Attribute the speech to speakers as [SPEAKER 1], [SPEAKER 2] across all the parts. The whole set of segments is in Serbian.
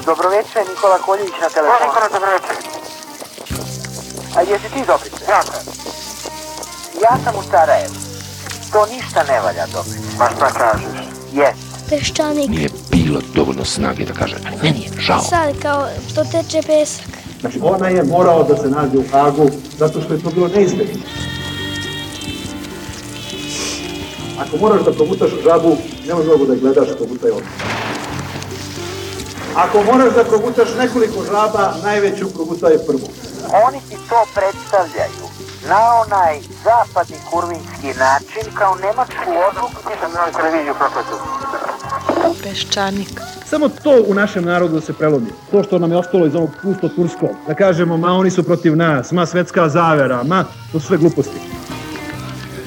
[SPEAKER 1] Dobroveče, Nikola Koljević na telefonu.
[SPEAKER 2] Nikola, dobroveče.
[SPEAKER 1] A jesi ti Dobrice?
[SPEAKER 2] Ja sam.
[SPEAKER 1] Ja sam u Sarajevu. To ništa ne valja, Dobrice.
[SPEAKER 2] Pa šta kažeš?
[SPEAKER 1] Jes.
[SPEAKER 3] Peščanik.
[SPEAKER 4] Nije bilo dovoljno snage da kaže, meni je žao.
[SPEAKER 3] Sad kao to teče pesak.
[SPEAKER 5] Znači ona je morao da se nađe u Hagu zato što je to bilo neizbježno. Ako moraš da progutaš žabu, nemoj mnogo da je gledaš, progutaj odmah. Ako moraš da progutaš nekoliko žaba, najveću progutaj prvu.
[SPEAKER 1] Oni ti to predstavljaju na onaj zapadni kurvinski način kao nemačku odluku.
[SPEAKER 2] Nisam na televiziju prohvatio.
[SPEAKER 3] Peščanik.
[SPEAKER 5] Samo to u našem narodu se prelomi. To što nam je ostalo iz ovog pusto-turskog. Da kažemo, ma oni su protiv nas, ma svetska zavera, ma to su sve gluposti.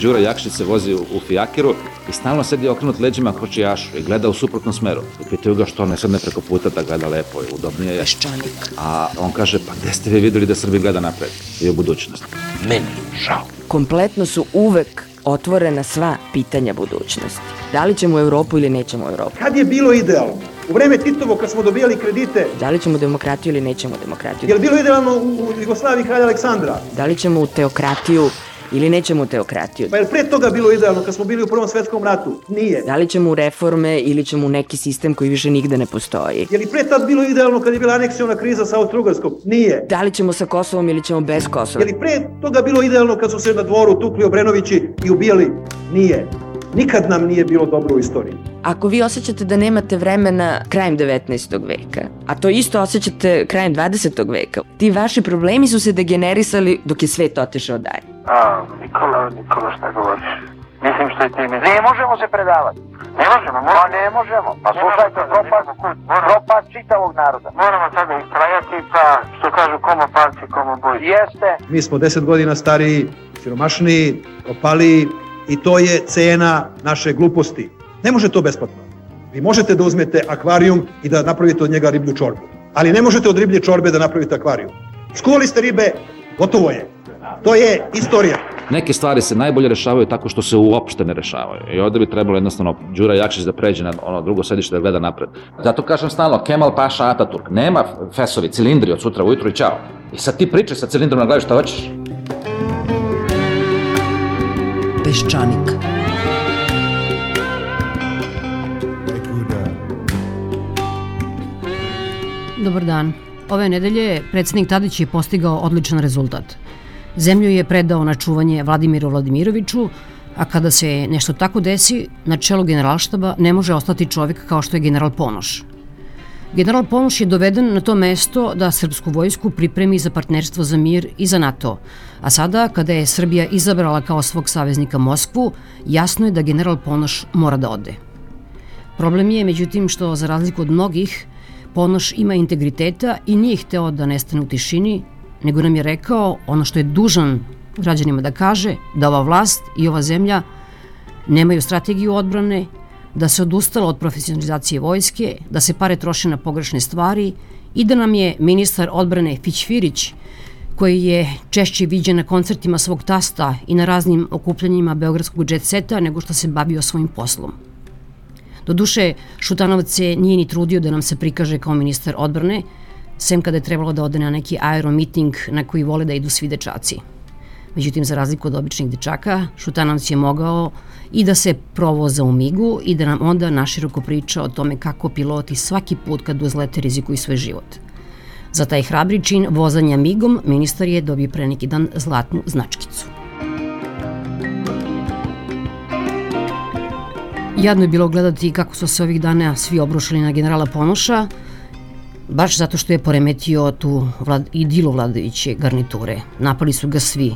[SPEAKER 6] Đura Jakšić se vozi u fijakeru i stalno sedi okrenut leđima kočijašu i gleda u suprotnom smeru. I pitaju ga što ne sedne preko puta da gleda lepo i udobnije je.
[SPEAKER 3] Peščanik.
[SPEAKER 6] A on kaže, pa gde ste vi videli da Srbi gleda napred i u budućnost?
[SPEAKER 4] Meni žao.
[SPEAKER 7] Kompletno su uvek otvorena sva pitanja budućnosti. Da li ćemo u Evropu ili nećemo u Evropu?
[SPEAKER 5] Kad je bilo idealno? U vreme Titovo, kad smo dobijali kredite,
[SPEAKER 7] Da li ćemo demokratiju ili nećemo demokratiju?
[SPEAKER 5] je li bilo idealno u Jugoslaviji kralja Aleksandra?
[SPEAKER 7] Da li ćemo u teokratiju ili nećemo u teokratiju?
[SPEAKER 5] Pa je li pre toga bilo idealno kad smo bili u Prvom svetskom ratu? Nije.
[SPEAKER 7] Da li ćemo u reforme ili ćemo u neki sistem koji više nigde ne postoji?
[SPEAKER 5] Je li pre tad bilo idealno kad je bila aneksiona kriza sa Austro-Ugarskom? Nije.
[SPEAKER 7] Da li ćemo sa Kosovom ili ćemo bez Kosova?
[SPEAKER 5] Je li pre toga bilo idealno kad su se na dvoru tukli Obrenovići i ubijali? Nije. Nikad nam nije bilo dobro u istoriji.
[SPEAKER 7] Ako vi osjećate da nemate vremena krajem 19. veka, a to isto osjećate krajem 20. veka, ti vaši problemi su se degenerisali dok je svet otišao dalje.
[SPEAKER 2] Nikola, šta govoriš? Mislim što je ti misliš.
[SPEAKER 1] Ne možemo se predavati.
[SPEAKER 2] Ne možemo,
[SPEAKER 1] Pa ne možemo. Pa slušajte, propast čitavog naroda.
[SPEAKER 2] Moramo sada istrajati, pa što kažu komo palci, komo boj.
[SPEAKER 1] Jeste.
[SPEAKER 5] Mi smo 10 godina stariji, siromašniji, opaliji i to je cena naše gluposti. Ne može to besplatno. Vi možete da uzmete akvarijum i da napravite od njega riblju čorbu. Ali ne možete od riblje čorbe da napravite akvarijum. Skuvali ste ribe, gotovo je. To je istorija.
[SPEAKER 6] Neke stvari se najbolje rešavaju tako što se uopšte ne rešavaju. I ovde bi trebalo jednostavno Đura Jakšić da pređe na ono drugo sedište da gleda napred. Zato kažem stalno, Kemal Paša Ataturk, nema fesovi, cilindri od sutra ujutru i ćao. I sad ti pričaj sa cilindrom na glavi šta hoćeš.
[SPEAKER 7] Peščanik.
[SPEAKER 8] Dobar dan. Ove nedelje predsjednik Tadić je postigao odličan rezultat. Zemlju je predao na čuvanje Vladimiru Vladimiroviću, a kada se nešto tako desi, na čelu generalštaba ne može ostati čovjek kao što je general Ponoš. General Ponoš je doveden na to mesto da srpsku vojsku pripremi za partnerstvo za mir i za NATO, a sada, kada je Srbija izabrala kao svog saveznika Moskvu, jasno je da general Ponoš mora da ode. Problem je, međutim, što za razliku od mnogih, Ponoš ima integriteta i nije hteo da nestane u tišini, nego nam je rekao ono što je dužan građanima da kaže, da ova vlast i ova zemlja nemaju strategiju odbrane, da se odustalo od profesionalizacije vojske, da se pare troše na pogrešne stvari i da nam je ministar odbrane Fićfirić, koji je češće viđen na koncertima svog tasta i na raznim okupljanjima beogradskog jet seta nego što se bavio svojim poslom. Doduše, Šutanovac se nije ni trudio da nam se prikaže kao ministar odbrane, sem kada je trebalo da ode na neki aeromiting na koji vole da idu svi dečaci. Međutim, za razliku od običnih dečaka, Šutanovac je mogao i da se provoza u migu i da nam onda naširoko priča o tome kako piloti svaki put kad uzlete rizikuju svoj život. Za taj hrabri čin vozanja migom ministar je dobio pre neki dan zlatnu značkicu. Jadno je bilo gledati kako su se ovih dana svi obrušili na generala Ponoša, baš zato što je poremetio tu idilu vladajuće garniture. Napali su ga svi.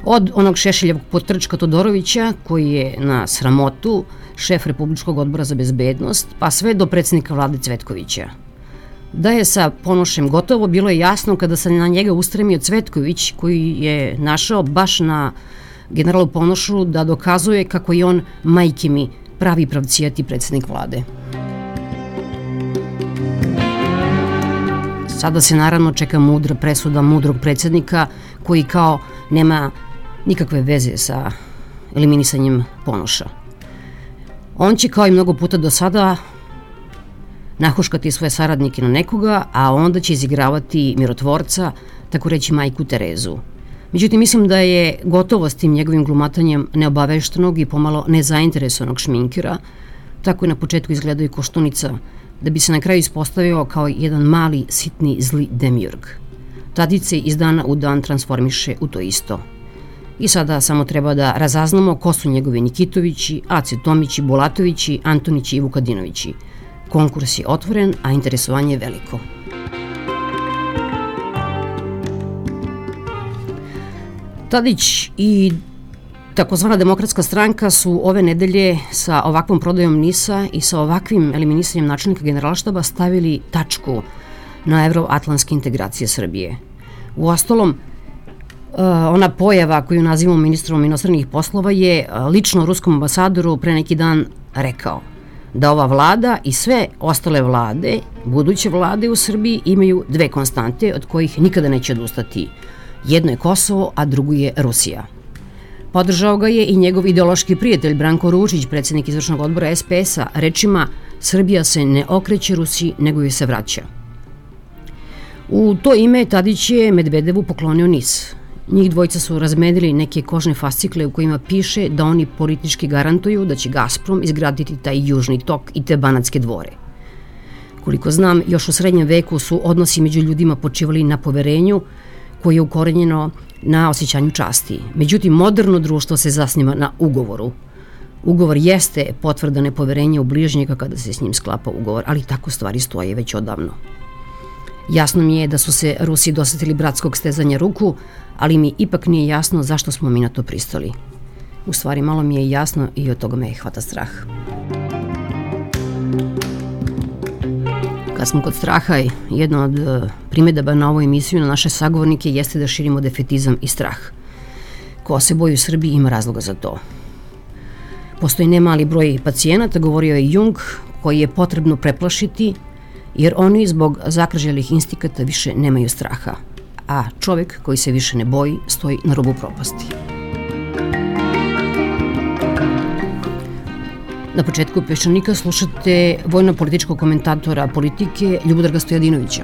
[SPEAKER 8] Od onog Šešeljevog potrčka Todorovića, koji je na sramotu šef Republičkog odbora za bezbednost, pa sve do predsjednika vlade Cvetkovića. Da je sa Ponošem gotovo, bilo je jasno kada se na njega ustremio Cvetković, koji je našao baš na generalu Ponošu da dokazuje kako je on, majke mi, pravi pravcijati predsjednik vlade. Sada se naravno čeka mudra presuda mudrog predsjednika koji kao nema nikakve veze sa eliminisanjem Ponoša. On će kao i mnogo puta do sada nahuškati svoje saradnike na nekoga, a onda će izigravati mirotvorca, tako reći majku Terezu. Međutim, mislim da je gotovo s tim njegovim glumatanjem neobaveštenog i pomalo nezainteresovanog šminkera, tako je na početku izgledao i Koštunica, da bi se na kraju ispostavio kao jedan mali, sitni, zli demiurg. Tadić se iz dana u dan transformiše u to isto. I sada samo treba da razaznamo ko su njegovi Nikitovići, Ace Tomići, Bulatovići, Antonići i Vukadinovići. Konkurs je otvoren, a interesovanje je veliko. Tadić i takozvana Demokratska stranka su ove nedelje sa ovakvom prodajom NIS-a i sa ovakvim eliminisanjem načelnika Generalštaba stavili tačku na evroatlantske integracije Srbije. Uostalom, ona pojava koju nazivamo ministrom inostranih poslova je lično ruskom ambasadoru pre neki dan rekao da ova vlada i sve ostale vlade, buduće vlade u Srbiji, imaju dve konstante od kojih nikada neće odustati. Jedno je Kosovo, a drugo je Rusija. Podržao ga je i njegov ideološki prijatelj Branko Ručić, predsjednik izvršnog odbora SPS-a, rečima Srbija se ne okreće Rusiji, nego joj se vraća. U to ime Tadić je Medvedevu poklonio NIS. Njih dvojica su razmenili neke kožne fascikle u kojima piše da oni politički garantuju da će Gazprom izgraditi taj južni tok i te Banatske dvore. Koliko znam, još u srednjem veku su odnosi među ljudima počivali na poverenju koje je ukorenjeno na osjećanju časti. Međutim, moderno društvo se zasniva na ugovoru. Ugovor jeste potvrda nepoverenja u bližnjega kada se s njim sklapa ugovor, ali tako stvari stoje već odavno. Jasno mi je da su se Rusi dosetili bratskog stezanja ruku, ali mi ipak nije jasno zašto smo mi na to pristali. U stvari, malo mi je jasno i od toga me hvata strah. Kad smo kod straha, jedna od primjedaba na ovu emisiju na naše sagovornike jeste da širimo defetizam i strah. Ko se boji u Srbiji ima razloga za to. Postoji nemali broj pacijenata, govorio je Jung, koji je potrebno preplašiti, jer oni zbog zakrželih instikata više nemaju straha, a čovjek koji se više ne boji stoji na rubu propasti. Na početku Peščanika slušate vojno-političkog komentatora politike Ljubodraga Stojadinovića.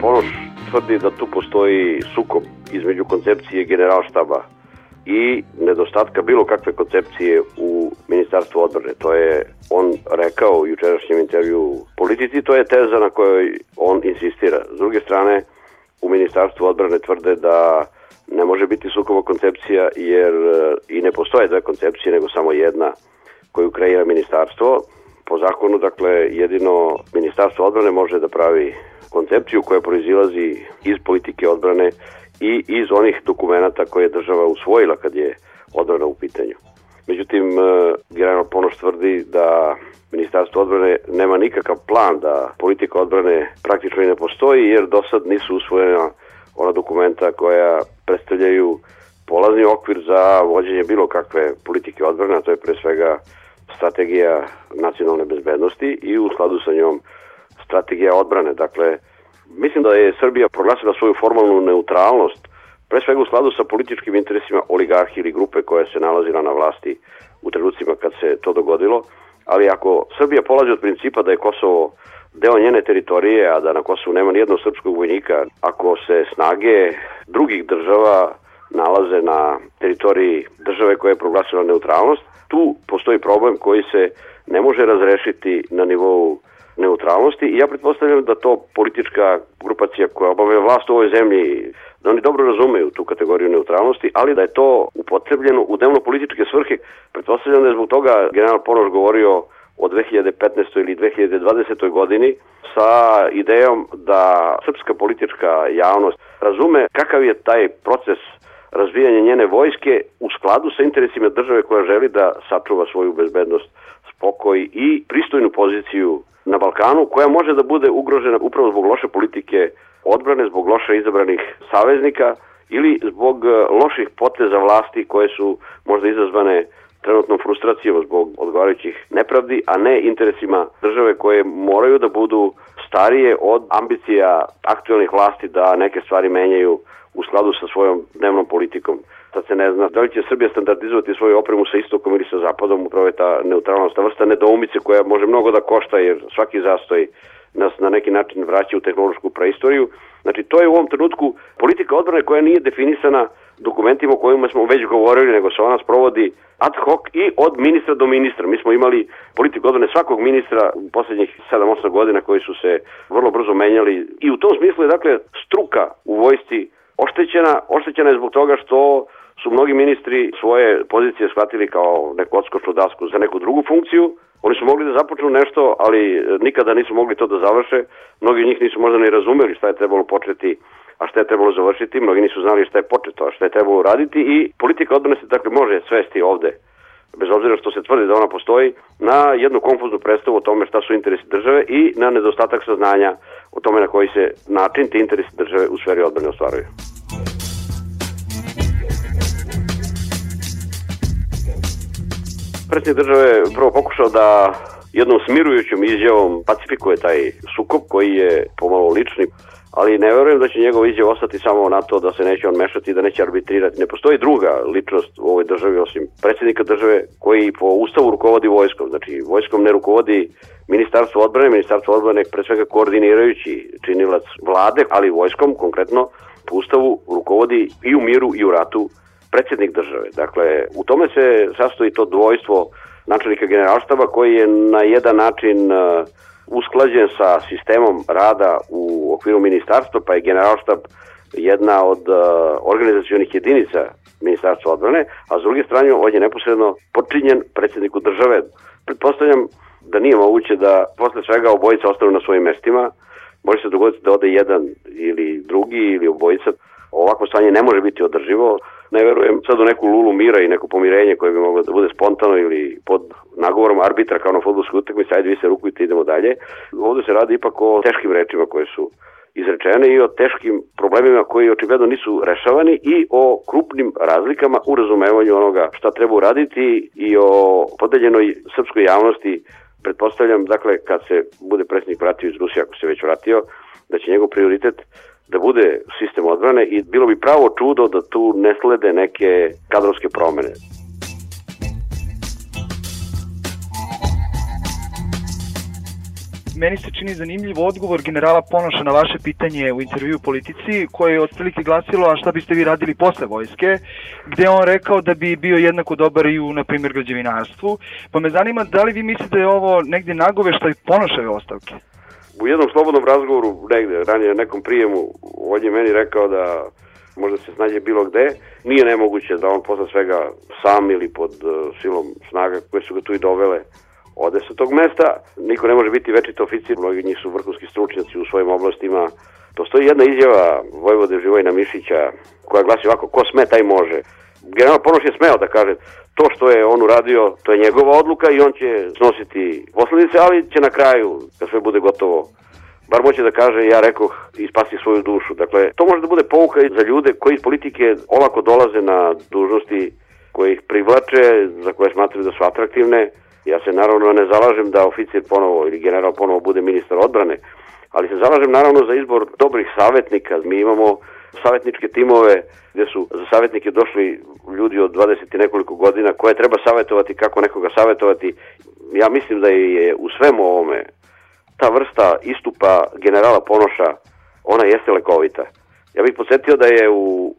[SPEAKER 9] Ponoš tvrdi da tu postoji sukob između koncepcije Generalštaba i nedostatka bilo kakve koncepcije u Ministarstvu odbrane. To je on rekao u jučerašnjem intervju Politici, to je teza na kojoj on insistira. S druge strane, u Ministarstvu odbrane tvrde da ne može biti sukoba koncepcija jer i ne postoje dve koncepcije, nego samo jedna koju kreira ministarstvo. Po zakonu, dakle, jedino Ministarstvo odbrane može da pravi koncepciju koja proizilazi iz politike odbrane i iz onih dokumenata koje je država usvojila kad je odbrana u pitanju. Međutim, general Ponoš tvrdi da Ministarstvo odbrane nema nikakav plan, da politika odbrane praktično i ne postoji jer do sad nisu usvojena ona dokumenta koja predstavljaju polazni okvir za vođenje bilo kakve politike odbrane, a to je pre svega strategija nacionalne bezbednosti i u skladu sa njom strategija odbrane. Dakle, mislim da je Srbija proglasila svoju formalnu neutralnost, pre svega u skladu sa političkim interesima oligarhije ili grupe koja se nalazila na vlasti u trenucima kad se to dogodilo, ali ako Srbija polazi od principa da je Kosovo deo njene teritorije, a da na Kosovu nema nijednog srpskog vojnika, ako se snage drugih država nalaze na teritoriji države koja je proglasila neutralnost, tu postoji problem koji se ne može razrešiti na nivou neutralnosti i ja pretpostavljam da to politička grupacija koja obavlja vlast u ovoj zemlji, da oni dobro razumeju tu kategoriju neutralnosti, ali da je to upotrebljeno u dnevno-političke svrhe. Pretpostavljam da je zbog toga general Ponoš govorio o 2015. ili 2020. godini sa idejom da srpska politička javnost razume kakav je taj proces razvijanja njene vojske u skladu sa interesima države koja želi da sačuva svoju bezbednost, spokoj i pristojnu poziciju na Balkanu, koja može da bude ugrožena upravo zbog loše politike odbrane, zbog loše izabranih saveznika ili zbog loših poteza vlasti koje su možda izazvane trenutnom frustracijom zbog odgovarajućih nepravdi, a ne interesima države koje moraju da budu starije od ambicija aktuelnih vlasti da neke stvari menjaju u skladu sa svojom dnevnom politikom. Sad se ne zna da li će Srbija standardizovati svoju opremu sa istokom ili sa zapadom, upravo je ta neutralnost, ta vrsta nedoumice koja može mnogo da košta jer svaki zastoj nas na neki način vraća u tehnološku praistoriju. Znači to je u ovom trenutku politika odbrane koja nije definisana dokumentima o kojima smo već govorili, nego se ona sprovodi ad hoc i od ministra do ministra. Mi smo imali politiku odbrane svakog ministra u poslednjih 7-8 godina koji su se vrlo brzo menjali i u tom smislu je dakle struka u vojsci oštećena je zbog toga što su mnogi ministri svoje pozicije shvatili kao neku odskočnu dasku za neku drugu funkciju. Oni su mogli da započnu nešto, ali nikada nisu mogli to da završe. Mnogi od njih nisu možda ni razumeli šta je trebalo početi, a šta je trebalo završiti. Mnogi nisu znali šta je početo, a šta je trebalo raditi i politika odbrane se dakle može svesti ovde, bez obzira što se tvrdi da ona postoji, na jednu konfuznu predstavu o tome šta su interesi države i na nedostatak saznanja o tome na koji se način ti interesi države u sferi odbrane ostvaruju. Predsjednik države je prvo pokušao da jednom smirujućom izjavom pacifikuje taj sukob koji je pomalo lični, ali ne verujem da će njegov izjav ostati samo na to da se neće on mešati i da neće arbitrirati. Ne postoji druga ličnost u ovoj državi osim predsjednika države koji po ustavu rukovodi vojskom. Znači vojskom ne rukovodi Ministarstvo odbrane pre svega koordinirajući činilac vlade, ali vojskom konkretno po ustavu rukovodi i u miru i u ratu predsjednik države. Dakle, u tome se sastoji to dvojstvo načelnika generalštaba koji je na jedan način usklađen sa sistemom rada u okviru ministarstva, pa je generalštab jedna od organizacionih jedinica Ministarstva odbrane, a s druge strane on je neposredno podčinjen predsjedniku države. Pretpostavljam da nije moguće da posle svega obojica ostanu na svojim mestima. Može se dogoditi da ode jedan ili drugi ili obojica. Ovako stanje ne može biti održivo. Ne verujem sad u neku lulu mira i neko pomirenje koje bi moglo da bude spontano ili pod nagovorom arbitra kao na fudbalskoj utakmici, ajde vi se rukujte, idemo dalje. Ovde se radi ipak o teškim rečima koje su izrečene i o teškim problemima koji očigledno nisu rešavani i o krupnim razlikama u razumevanju onoga šta treba uraditi i o podeljenoj srpskoj javnosti. Pretpostavljam, dakle, kad se bude predsjednik vratio iz Rusije, ako se već vratio, da će njegov prioritet da bude sistem odbrane i bilo bi pravo čudo da tu ne slede neke kadrovske promene.
[SPEAKER 10] Meni se čini zanimljiv odgovor generala Ponoša na vaše pitanje u intervju Politici, koje je otprilike glasilo a šta biste vi radili posle vojske, gde on rekao da bi bio jednako dobar i u, na primjer, građevinarstvu. Pa me zanima da li vi mislite da je ovo negdje nagoveštaj Ponoševe ostavke?
[SPEAKER 9] U jednom slobodnom razgovoru negde, ranije na nekom prijemu, on je meni rekao da možda se snađe bilo gde. Nije nemoguće da on posle svega sam ili pod silom snaga koje su ga tu i dovele ode sa tog mesta. Niko ne može biti večiti oficir, mnogi njih su vrhunski stručnjaci u svojim oblastima. Postoji jedna izjava vojvode Živojina Mišića koja glasi ovako: ko sme, taj može. General Ponoš je smeo da kaže to što je on uradio, to je njegova odluka i on će snositi posledice, ali će na kraju, kad sve bude gotovo, bar moće da kaže ja rekoh i spasi svoju dušu. Dakle, to može da bude pouka i za ljude koji iz politike olako dolaze na dužnosti koje ih privlače, za koje smatraju da su atraktivne. Ja se naravno ne zalažem da oficir ponovo ili general ponovo bude ministar odbrane, ali se zalažem naravno za izbor dobrih savjetnika. Mi imamo savjetničke timove gdje su za savjetnike došli ljudi od 20 i nekoliko godina koje treba savjetovati, kako nekoga savjetovati. Ja mislim da je u svemu ovome ta vrsta istupa generala Ponoša, ona jeste lekovita. Ja bih podsjetio da je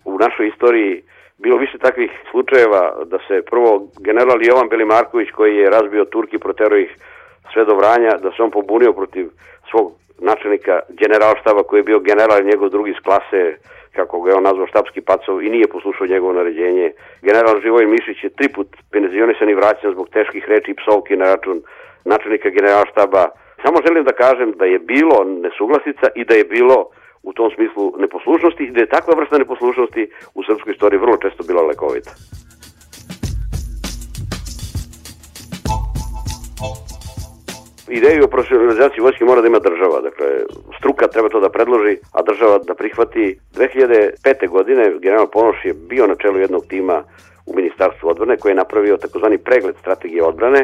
[SPEAKER 9] u našoj istoriji bilo više takvih slučajeva da se prvo general Jovan Belimarković, koji je razbio Turki, proterao ih sve do Vranja, da se on pobunio protiv svog načelnika generalštaba koji je bio general i njegov drugi iz klase, kako ga je on nazvao štabski pacov, i nije poslušao njegovo naređenje. General Živojin Mišić je 3 put penzionisan i vraćan zbog teških reči i psovki na račun načelnika generalštaba. Samo želim da kažem da je bilo nesuglasica i da je bilo u tom smislu neposlušnosti i da je takva vrsta neposlušnosti u srpskoj istoriji vrlo često bila lekovita. Ideju o profesionalizaciji vojske mora da ima država, dakle struka treba to da predloži, a država da prihvati. 2005. godine general Ponoš je bio na čelu jednog tima u Ministarstvu odbrane koji je napravio takozvani pregled strategije odbrane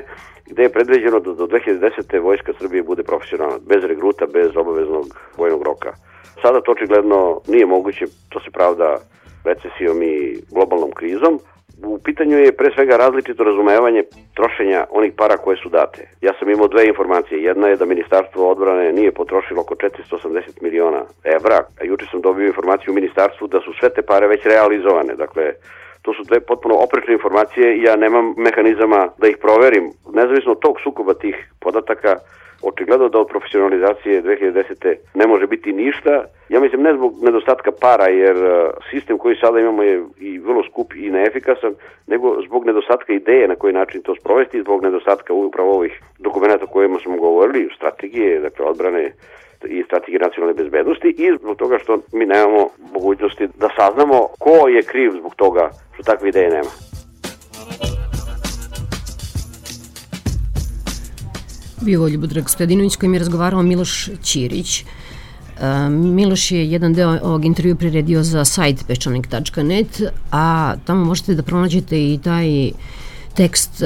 [SPEAKER 9] gde je predviđeno da do 2010. Vojska Srbije bude profesionalna, bez regruta, bez obaveznog vojnog roka. Sada to očigledno nije moguće, to se pravda recesijom i globalnom krizom. U pitanju je pre svega različito razumevanje trošenja onih para koje su date. Ja sam imao dve informacije. Jedna je da Ministarstvo odbrane nije potrošilo oko 480 miliona evra, a juče sam dobio informaciju u Ministarstvu da su sve te pare već realizovane. Dakle, to su dve potpuno oprečne informacije i ja nemam mehanizama da ih proverim. Nezavisno od tog sukoba tih podataka, očigledno da od profesionalizacije 2010. ne može biti ništa. Ja mislim ne zbog nedostatka para, jer sistem koji sada imamo je i vrlo skup i neefikasan, nego zbog nedostatka ideje na koji način to sprovesti, zbog nedostatka upravo ovih dokumenta o kojima smo govorili, strategije, dakle odbrane i strategije nacionalne bezbednosti, i zbog toga što mi nemamo mogućnosti da saznamo ko je kriv zbog toga što takve ideje nema.
[SPEAKER 8] Bio Ljubodrag Stojadinović kojim je razgovarao Miloš Ćirić. Miloš je jedan deo ovog intervjua priredio za sajt peščanik.net, a tamo možete da pronađete i taj tekst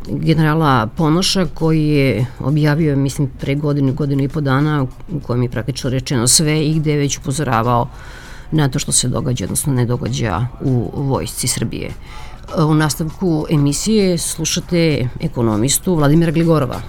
[SPEAKER 8] generala Ponoša koji je objavio, mislim, pre godinu i po dana, u kojem je praktično rečeno sve i gde je već upozoravao na to što se događa, odnosno ne događa u Vojsci Srbije. U nastavku emisije slušate ekonomistu Vladimira Gligorova.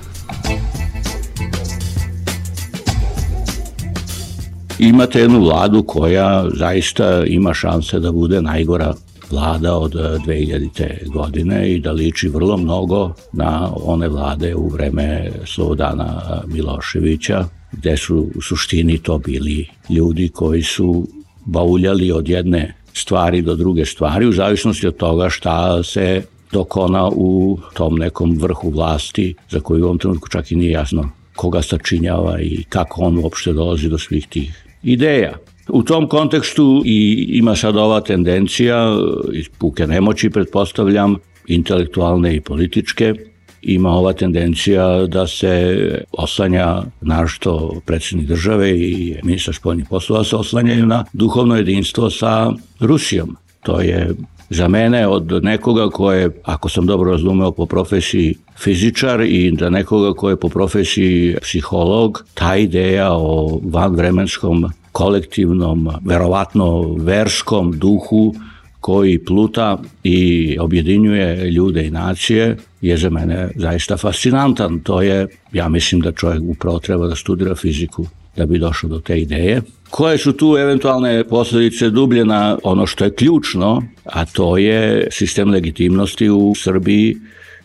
[SPEAKER 11] Imate jednu vladu koja zaista ima šanse da bude najgora vlada od 2000. godine i da liči vrlo mnogo na one vlade u vreme Slobodana Miloševića, gde su u suštini to bili ljudi koji su bauljali od jedne stvari do druge stvari, u zavisnosti od toga šta se dokona u tom nekom vrhu vlasti, za koju u ovom trenutku čak i nije jasno koga sačinjava i kako on uopšte dolazi do svih tih ideja. U tom kontekstu i ima sad ova tendencija, iz puke nemoći pretpostavljam, intelektualne i političke, ima ova tendencija da se oslanja, naročito predsjednik države i ministar spoljnih poslova se oslanjaju na duhovno jedinstvo sa Rusijom. To je za mene od nekoga ko je, ako sam dobro razumeo, po profesiji fizičar i da nekoga ko je po profesiji psiholog, ta ideja o vanvremenskom, kolektivnom, verovatno verskom duhu koji pluta i objedinjuje ljude i nacije je za mene zaista fascinantan. To je, ja mislim da čovjek upravo treba da studira fiziku da bi došao do te ideje. Koje su tu eventualne posljedice dublje na ono što je ključno, a to je sistem legitimnosti u Srbiji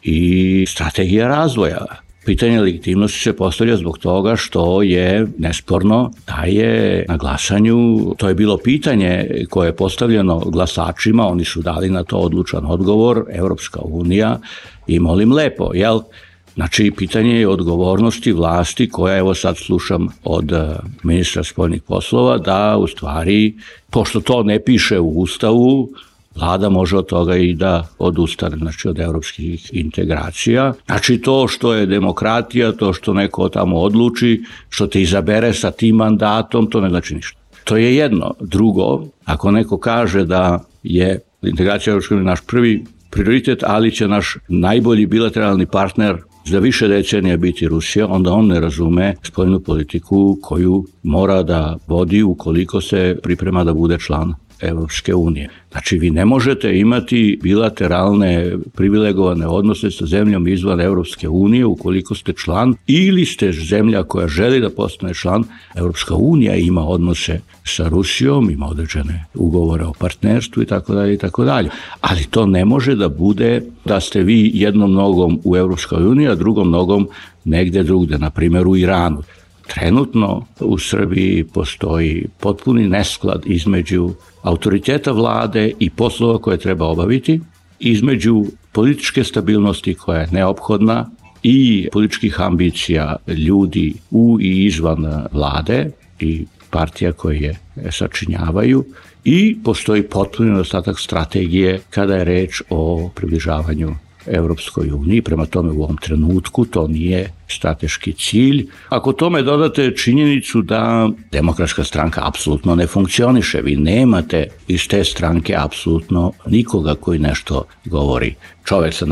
[SPEAKER 11] i strategija razvoja. Pitanje legitimnosti se postavlja zbog toga što je nesporno da je na glasanju, to je bilo pitanje koje je postavljeno glasačima, oni su dali na to odlučan odgovor, Evropska unija i molim lepo, jel? Znači, pitanje je odgovornosti vlasti koja, evo sad slušam od ministra spoljnih poslova, da u stvari, pošto to ne piše u Ustavu, vlada može od toga i da odustane, znači od evropskih integracija. Znači to što je demokratija, to što neko tamo odluči, što te izabere sa tim mandatom, to ne znači ništa. To je jedno. Drugo, ako neko kaže da je integracija Evropske unije naš prvi prioritet, ali će naš najbolji bilateralni partner za više decenija biti Rusija, onda on ne razume spoljnu politiku koju mora da vodi ukoliko se priprema da bude član Evropske unije. Znači, vi ne možete imati bilateralne privilegovane odnose sa zemljom izvan Evropske unije ukoliko ste član ili ste zemlja koja želi da postane član. Evropska unija ima odnose sa Rusijom, ima određene ugovore o partnerstvu i tako dalje i tako dalje. Ali to ne može da bude da ste vi jednom nogom u Evropskoj uniji, a drugom nogom negde drugde, na primjer u Iranu. Trenutno u Srbiji postoji potpuni nesklad između autoriteta vlade i poslova koje treba obaviti, između političke stabilnosti koja je neophodna i političkih ambicija ljudi u i izvan vlade i partija koje je sačinjavaju i postoji potpuni nedostatak strategije kada je reč o približavanju Evropskoj uniji, prema tome u ovom trenutku to nije strateški cilj. Ako tome dodate činjenicu da Demokratska stranka apsolutno ne funkcioniše, vi nemate iz te stranke apsolutno nikoga koji nešto govori. Čovjek sa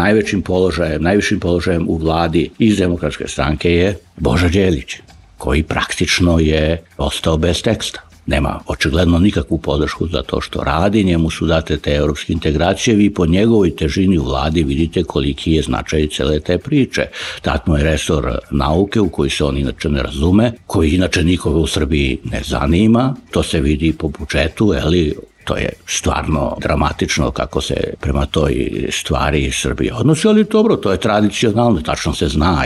[SPEAKER 11] najvišim položajem u vladi iz Demokratske stranke je Boža Đelić, koji praktično je ostao bez teksta. Nema očigledno nikakvu podršku za to što radi, njemu su date te europske integracije, vi po njegovoj težini u vladi vidite koliki je značaj cele te priče. Dat mu je resor nauke u koji se on inače ne razume, koji inače nikoga u Srbiji ne zanima, to se vidi po budžetu, to je stvarno dramatično kako se prema toj stvari Srbije odnosi, ali dobro, to je tradicionalno, tačno se zna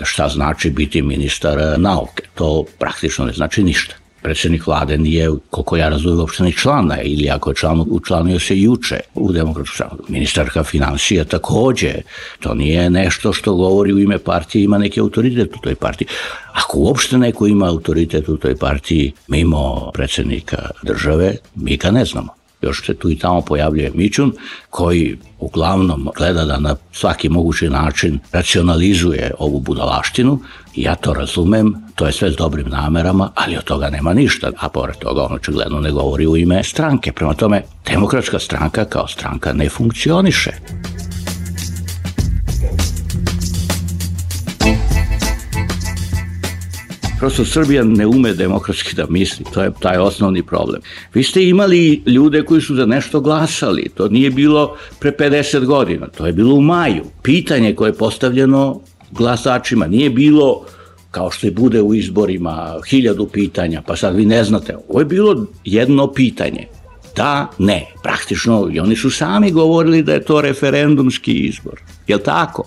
[SPEAKER 11] šta znači biti ministar nauke, to praktično ne znači ništa. Predsjednik vlade nije, koliko ja razumijem, uopšte ni člana, ili ako je učlanio se juče u Demokratsku stranku. Ministarka financija takođe, to nije nešto što govori u ime partije, ima neki autoritet u toj partiji. Ako uopšte neko ima autoritet u toj partiji mimo predsjednika države, mi ga ne znamo. Još se tu i tamo pojavljuje Mićun, koji uglavnom gleda da na svaki mogući način racionalizuje ovu budalaštinu. Ja to razumem, to je sve s dobrim namerama, ali od toga nema ništa. A pored toga on očigledno ne govori u ime stranke. Prema tome, Demokratska stranka kao stranka ne funkcioniše. Prosto Srbija ne ume demokratski da misli, to je taj osnovni problem. Vi ste imali ljude koji su za nešto glasali, to nije bilo pre 50 godina, to je bilo u maju. Pitanje koje je postavljeno glasačima nije bilo kao što je bude u izborima 1000 pitanja, pa sad vi ne znate. Ovo je bilo jedno pitanje. Da, ne. Praktično i oni su sami govorili da je to referendumski izbor. Jel' tako?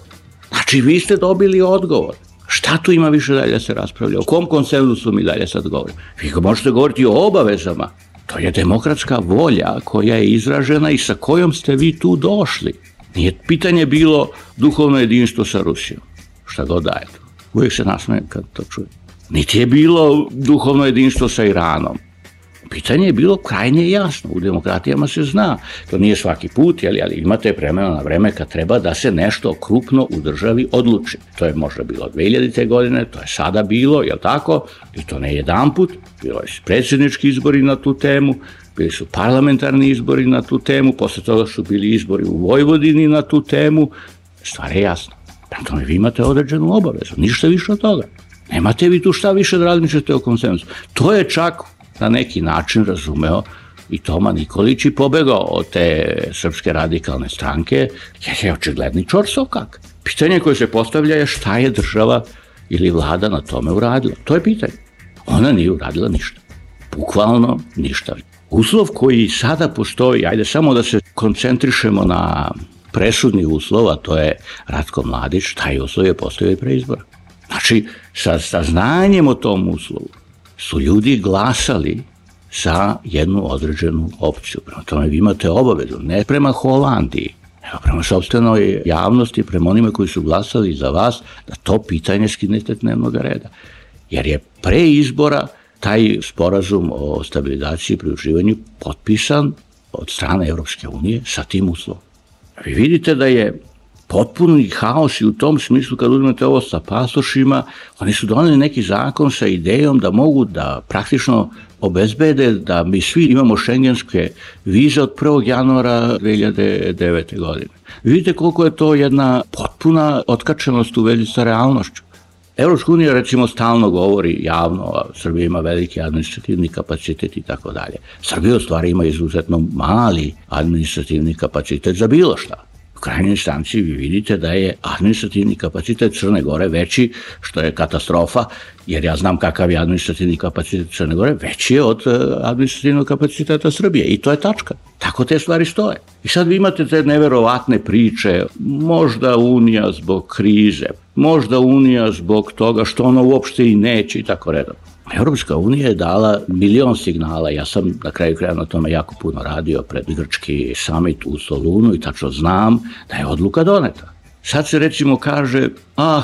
[SPEAKER 11] Znači vi ste dobili odgovor. Šta tu ima više dalje da se raspravlja? O kom konsenzusu mi dalje sad govorimo? Vi možete govoriti o obavezama. To je demokratska volja koja je izražena i sa kojom ste vi tu došli. Nije pitanje bilo duhovno jedinstvo sa Rusijom. Šta god daje to. Uvijek se nasmeje kad to čuje. Niti je bilo duhovno jedinstvo sa Iranom. Pitanje je bilo krajnje jasno. U demokratijama se zna. To nije svaki put, ali imate vremena na vreme kad treba da se nešto krupno u državi odluči. To je možda bilo 2000. godine, to je sada bilo, jel' tako? I to ne jedan put. Bilo je predsjednički izbori na tu temu, bili su parlamentarni izbori na tu temu, posle toga su bili izbori u Vojvodini na tu temu. Stvar je jasna. Prema tome vi imate određenu obavezu, ništa više od toga. Nemate vi tu šta više da razmišljate o konsenzusu. To je čak na neki način razumeo i Toma Nikolić i pobegao od te Srpske radikalne stranke, jer je očigledni čorsokak. Pitanje koje se postavlja je šta je država ili vlada na tome uradila. To je pitanje. Ona nije uradila ništa. Bukvalno ništa. Uslov koji sada postoji, ajde samo da se koncentrišemo na presudni uslov, a to je Ratko Mladić, taj uslov je postojao i pre izbora. Znači, sa znanjem o tom uslovu su ljudi glasali za jednu određenu opciju. Prema tome vi imate obavezu, ne prema Holandiji, nego prema sopstvenoj javnosti, prema onima koji su glasali za vas, da to pitanje skinete s dnevnog reda. Jer je pre izbora taj sporazum o stabilizaciji i pridruživanju potpisan od strane Evropske unije sa tim uslovom. Vi vidite da je potpuni haos i u tom smislu kad uzmete ovo sa pasošima, oni su doneli neki zakon sa idejom da mogu da praktično obezbede da mi svi imamo šengenske vize od 1. januara 2009. godine. Vidite koliko je to jedna potpuna otkačenost u vezi sa realnošću. Evropska unija recimo stalno govori javno, a Srbija ima veliki administrativni kapacitet i tako dalje. Srbija u stvari ima izuzetno mali administrativni kapacitet za bilo šta. U krajnjoj instanci vi vidite da je administrativni kapacitet Crne Gore veći, što je katastrofa, jer ja znam kakav je administrativni kapacitet Crne Gore, veći je od administrativnog kapaciteta Srbije i to je tačka. Tako te stvari stoje. I sad vi imate te neverovatne priče, možda Unija zbog krize, možda Unija zbog toga što ona uopšte i neće i tako redom. Evropska unija je dala milion signala, ja sam na kraju kraja na tome jako puno radio pred grčki summit u Solunu i tačno znam da je odluka doneta. Sad se recimo kaže,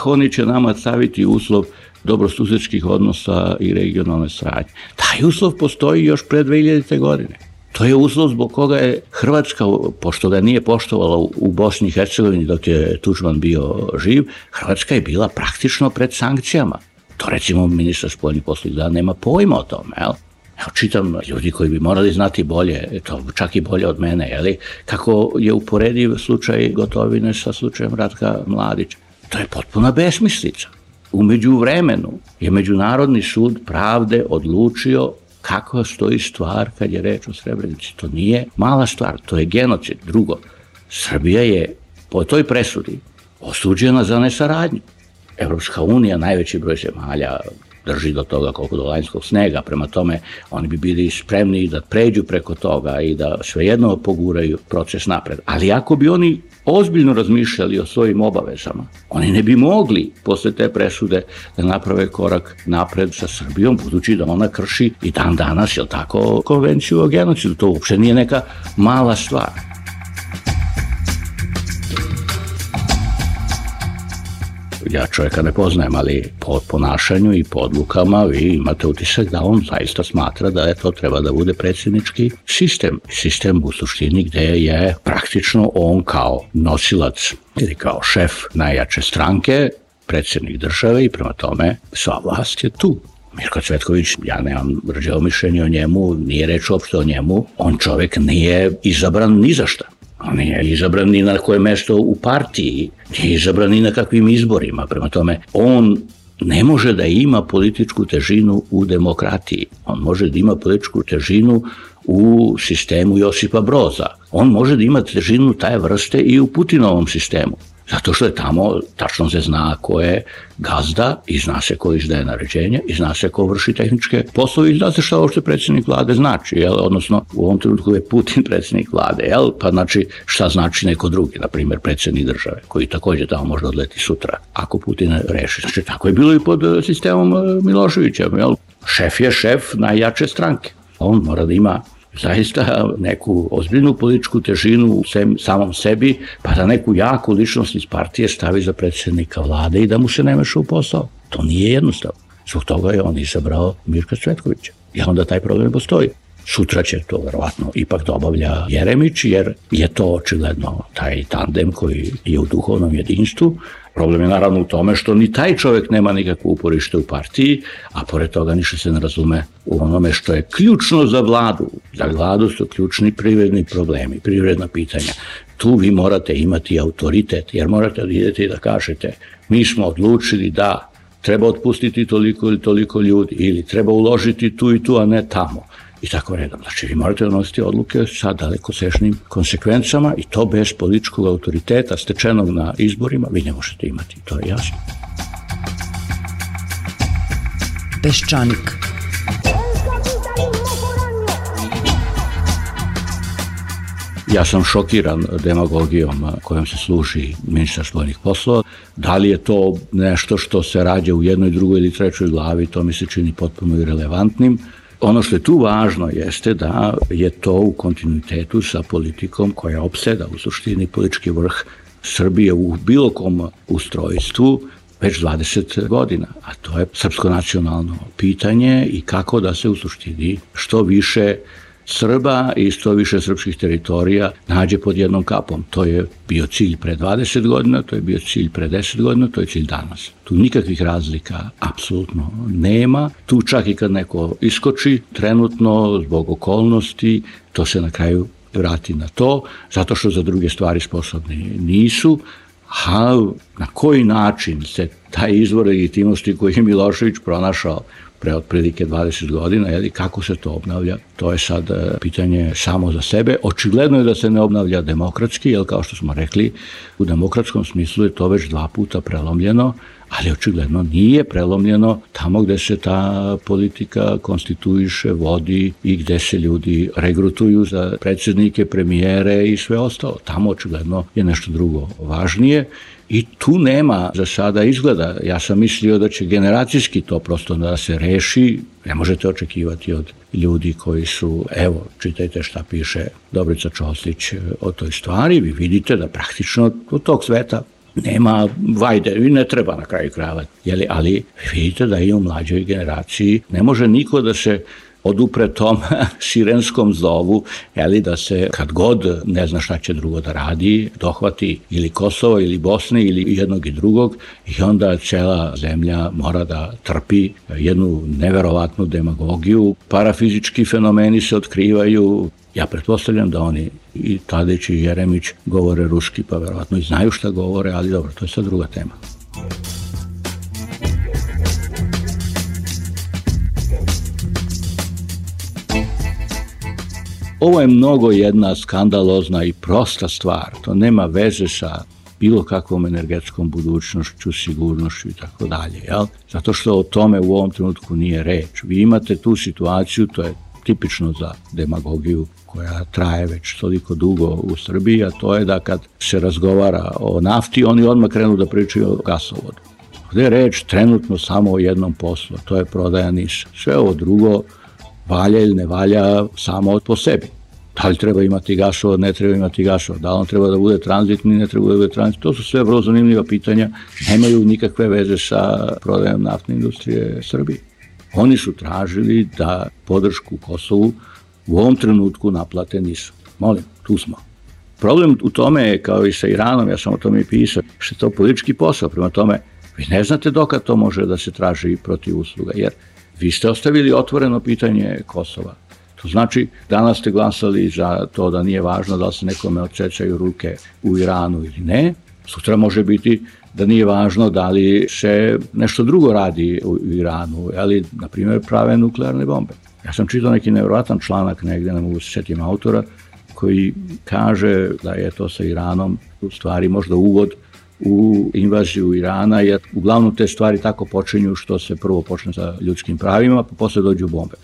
[SPEAKER 11] oni će nama staviti uslov dobrosusedskih odnosa i regionalne saradnje. Taj uslov postoji još pre 2000. godine. To je uslov zbog koga je Hrvatska, pošto ga nije poštovala u Bosni i Hercegovini dok je Tuđman bio živ, Hrvatska je bila praktično pred sankcijama. To recimo ministar spoljnih poslova da nema pojma o tome, jel? Evo čitam ljudi koji bi morali znati bolje, to čak i bolje od mene, jeli, kako je uporediv slučaj Gotovine sa slučajem Ratka Mladića. To je potpuna besmislica. U međuvremenu je Međunarodni sud pravde odlučio kako stoji stvar kad je reč o Srebrenici. To nije mala stvar, to je genocid. Drugo, Srbija je po toj presudi osuđena za nesaradnju. Evropska unija, najveći broj zemalja, drži do toga koliko do lanjskog snega, prema tome oni bi bili spremni da pređu preko toga i da svejedno poguraju proces napred. Ali ako bi oni ozbiljno razmišljali o svojim obavezama, oni ne bi mogli posle te presude da naprave korak napred sa Srbijom, budući da ona krši i dan danas, jel tako, konvenciju o genocidu. To uopšte nije neka mala stvar. Ja čovjeka ne poznajem, ali po ponašanju i po odlukama vi imate utisak da on zaista smatra da je to treba da bude predsjednički sistem. Sistem u suštini gde je praktično on kao nosilac ili kao šef najjače stranke, predsjednik države i prema tome sva vlast je tu. Mirko Cvetković, ja nemam rđavo mišljenje o njemu, nije reč uopšte o njemu, on čovjek nije izabran ni za šta. On nije izabran ni na koje mesto u partiji, nije izabran ni na kakvim izborima. Prema tome, on ne može da ima političku težinu u demokratiji. On može da ima političku težinu u sistemu Josipa Broza. On može da ima težinu taje vrste i u Putinovom sistemu. Zato što je tamo, tačno se zna ko je gazda i zna se ko izdaje naređenja i zna se ko vrši tehničke poslove i zna se šta uopšte predsjednik vlade znači, jel? Odnosno u ovom trenutku je Putin predsjednik vlade, jel? Pa znači šta znači neko drugi, na primjer predsjednik države, koji također tamo može odleti sutra, ako Putin reši. Znači tako je bilo i pod sistemom Miloševića, jel? Šef je šef najjače stranke. On mora da ima zaista neku ozbiljnu političku težinu u samom sebi, pa da neku jaku ličnost iz partije stavi za predsjednika vlade i da mu se ne meša u posao. To nije jednostavno. Zbog toga je on izabrao Mirka Cvetkovića. I onda taj problem postoji. Sutra će to verovatno ipak da obavlja Jeremić, jer je to očigledno taj tandem koji je u duhovnom jedinstvu. Problem je naravno u tome što ni taj čovjek nema nikakvo uporište u partiji, a pored toga ništa se ne razume u onome što je ključno za vladu. Za vladu su ključni privredni problemi, privredna pitanja. Tu vi morate imati autoritet, jer morate da idete i da kažete mi smo odlučili da treba otpustiti toliko ili toliko ljudi ili treba uložiti tu i tu, a ne tamo. I tako redom. Znači, vi morate donositi odluke sa dalekosežnim konsekvencama i to bez političkog autoriteta stečenog na izborima vi ne možete imati. To je jasno.
[SPEAKER 7] Peščanik.
[SPEAKER 11] Ja sam šokiran demagogijom kojom se služi ministar spoljnih poslova. Da li je to nešto što se rađa u jednoj, drugoj ili trećoj glavi, to mi se čini potpuno irelevantnim. Ono što je tu važno jeste da je to u kontinuitetu sa politikom koja opseda u suštini politički vrh Srbije u bilo kom ustrojstvu već 20 godina, a to je srpsko nacionalno pitanje i kako da se u suštini što više Srba i što više srpskih teritorija nađe pod jednom kapom. To je bio cilj pre 20 godina, to je bio cilj pre 10 godina, to je cilj danas. Tu nikakvih razlika apsolutno nema. Tu čak i kad neko iskoči trenutno zbog okolnosti, to se na kraju vrati na to, zato što za druge stvari sposobni nisu. A na koji način se taj izvor legitimnosti koji je Milošević pronašao pre otprilike 20 godina, kako se to obnavlja, to je sad pitanje samo za sebe. Očigledno je da se ne obnavlja demokratski, jer kao što smo rekli, u demokratskom smislu je to već 2 puta prelomljeno, ali očigledno nije prelomljeno tamo gde se ta politika konstituiše, vodi i gde se ljudi regrutuju za predsjednike, premijere i sve ostalo. Tamo očigledno je nešto drugo važnije. I tu nema za sada izgleda. Ja sam mislio da će generacijski to prosto da se reši. Ne možete očekivati od ljudi koji su, evo, čitajte šta piše Dobrica Čoslić o toj stvari. Vi vidite da praktično od tog sveta nema vajde i ne treba na kraju krajeva. Ali vidite da i u mlađoj generaciji ne može niko da se odupre tom sirenskom zovu, da se kad god ne zna šta će drugo da radi, dohvati ili Kosovo ili Bosne ili jednog i drugog i onda cela zemlja mora da trpi jednu neverovatnu demagogiju. Parafizički fenomeni se otkrivaju. Ja pretpostavljam da oni i Tadić i Jeremić govore ruski, pa verovatno i znaju šta govore, ali dobro, to je sad druga tema. Ovo je mnogo jedna skandalozna i prosta stvar. To nema veze sa bilo kakvom energetskom budućnošću, sigurnošću i tako dalje. Zato što o tome u ovom trenutku nije reč. Vi imate tu situaciju, to je tipično za demagogiju koja traje već toliko dugo u Srbiji, a to je da kad se razgovara o nafti, oni odmah krenu da pričaju o gasovodu. Ovde je reč trenutno samo o jednom poslu, to je prodaja NIS. Sve ovo drugo valja ili ne valja samo po sebi. Da li treba imati gasovod, ne treba imati gasovod, da li on treba da bude tranzitni, ne treba da bude tranzitni. To su sve vrlo zanimljiva pitanja, nemaju nikakve veze sa prodajom naftne industrije Srbije. Oni su tražili da podršku Kosovu u ovom trenutku naplate NIS. Molim, tu smo. Problem u tome je, kao i sa Iranom, ja sam o tome i pisao, što je to politički posao, prema tome vi ne znate dokad to može da se traži protiv usluga, jer vi ste ostavili otvoreno pitanje Kosova. To znači, danas ste glasali za to da nije važno da li se nekome odsecaju ruke u Iranu ili ne, sutra može biti da nije važno da li se nešto drugo radi u Iranu, ali, na primjer, prave nuklearne bombe. Ja sam čitao neki nevjerojatan članak negde, ne mogu se setim autora, koji kaže da je to sa Iranom u stvari možda uvod u invaziju Irana, jer uglavnom te stvari tako počinju što se prvo počne sa ljudskim pravima, pa posle dođu bombe.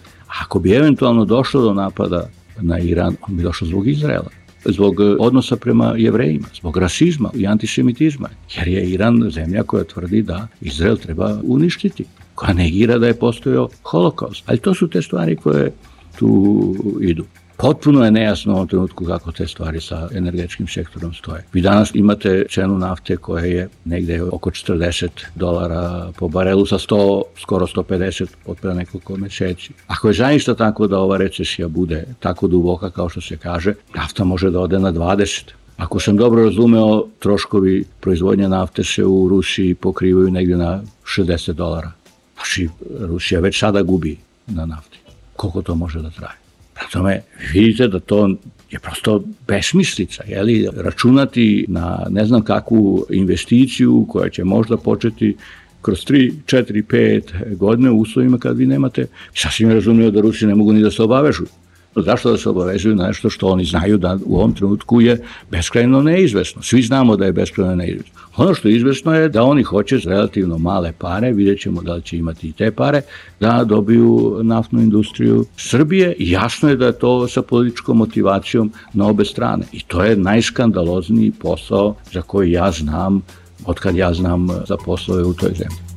[SPEAKER 11] Ako bi eventualno došlo do napada na Iran, on bi došao zbog Izraela, zbog odnosa prema Jevrejima, zbog rasizma i antisemitizma, jer je Iran zemlja koja tvrdi da Izrael treba uništiti, koja negira da je postojao holokaust. Ali to su te stvari koje tu idu. Potpuno je nejasno u ovom trenutku kako te stvari sa energetskim sektorom stoje. Vi danas imate cenu nafte koja je negde oko $40 po barelu sa 100, skoro 150 od pre nekoliko meseci. Ako je zaista tako da ova recesija bude tako duboka kao što se kaže, nafta može da ode na 20. Ako sam dobro razumeo, troškovi proizvodnje nafte se u Rusiji pokrivaju negde na $60. Znači, Rusija već sada gubi na nafti. Koliko to može da traje? Tome, vidite da to je prosto besmislica, računati na ne znam kakvu investiciju koja će možda početi kroz 3, 4, 5 godine u uslovima kad vi nemate. Sasvim razumljivo da Rusi ne mogu ni da se obavežu. Zašto da se obavezuju na nešto što oni znaju da u ovom trenutku je beskrajno neizvesno? Svi znamo da je beskrajno neizvesno. Ono što je izvesno je da oni hoće s relativno male pare, vidjet ćemo da li će imati i te pare, da dobiju naftnu industriju Srbije i jasno je da je to sa političkom motivacijom na obe strane. I to je najskandalozniji posao za koji ja znam, otkad ja znam za poslove u toj zemlji.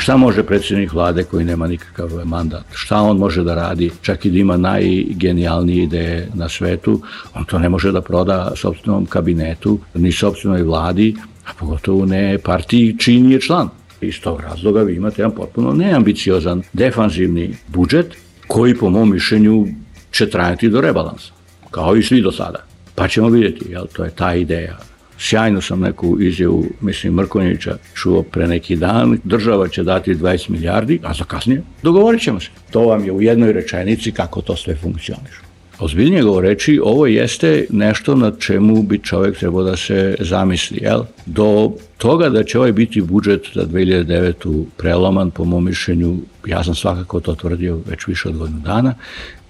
[SPEAKER 11] Šta može predsjednik vlade koji nema nikakav mandat? Šta on može da radi? Čak i da ima najgenijalnije ideje na svetu, on to ne može da proda sopstvenom kabinetu, ni sopstvenoj vladi, a pogotovo ne partiji čiji je član. Iz tog razloga vi imate jedan potpuno neambiciozan, defanzivni budžet koji po mom mišljenju će trajati do rebalansa, kao i svi do sada. Pa ćemo vidjeti, to je ta ideja. Sjajno sam neku izjavu, Mrkonjića čuo pre neki dan, država će dati 20 milijardi, a za kasnije dogovorit ćemo se. To vam je u jednoj rečenici kako to sve funkcioniše. Ozbiljnije govoreći, ovo jeste nešto na čemu bi čovjek trebao da se zamisli. Do toga da će ovaj biti budžet za 2009. preloman, po mom mišljenju, ja sam svakako to tvrdio već više od godinu dana,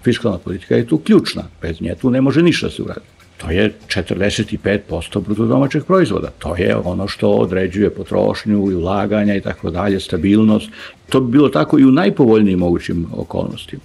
[SPEAKER 11] fiskalna politika je tu ključna, bez nje tu ne može ništa se uraditi. To je 45% bruto domaćeg proizvoda. To je ono što određuje potrošnju i ulaganja i tako dalje, stabilnost. To bi bilo tako i u najpovoljnijim mogućim okolnostima.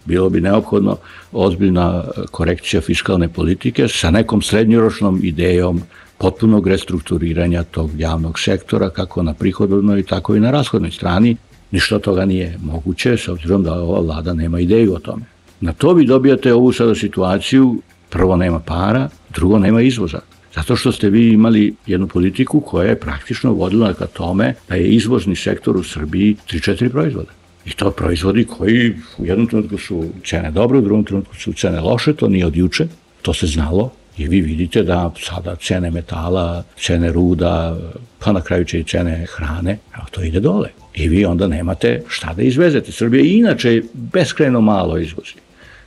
[SPEAKER 11] Bilo bi neophodno ozbiljna korekcija fiskalne politike sa nekom srednjoročnom idejom potpunog restrukturiranja tog javnog sektora, kako na prihodovnoj, tako i na rashodnoj strani. Ništa toga nije moguće, s obzirom da ova vlada nema ideju o tome. Na to vi dobijate ovu sada situaciju. Prvo nema para, drugo nema izvoza. Zato što ste vi imali jednu politiku koja je praktično vodila ka tome da je izvozni sektor u Srbiji 3-4 proizvoda. I to proizvodi koji u jednom trenutku su cene dobre, u drugom trenutku su cene loše, to nije od juče, to se znalo. I vi vidite da sada cene metala, cene ruda, pa na kraju će i cene hrane, to ide dole. I vi onda nemate šta da izvezete. Srbija inače beskrajno malo izvozi.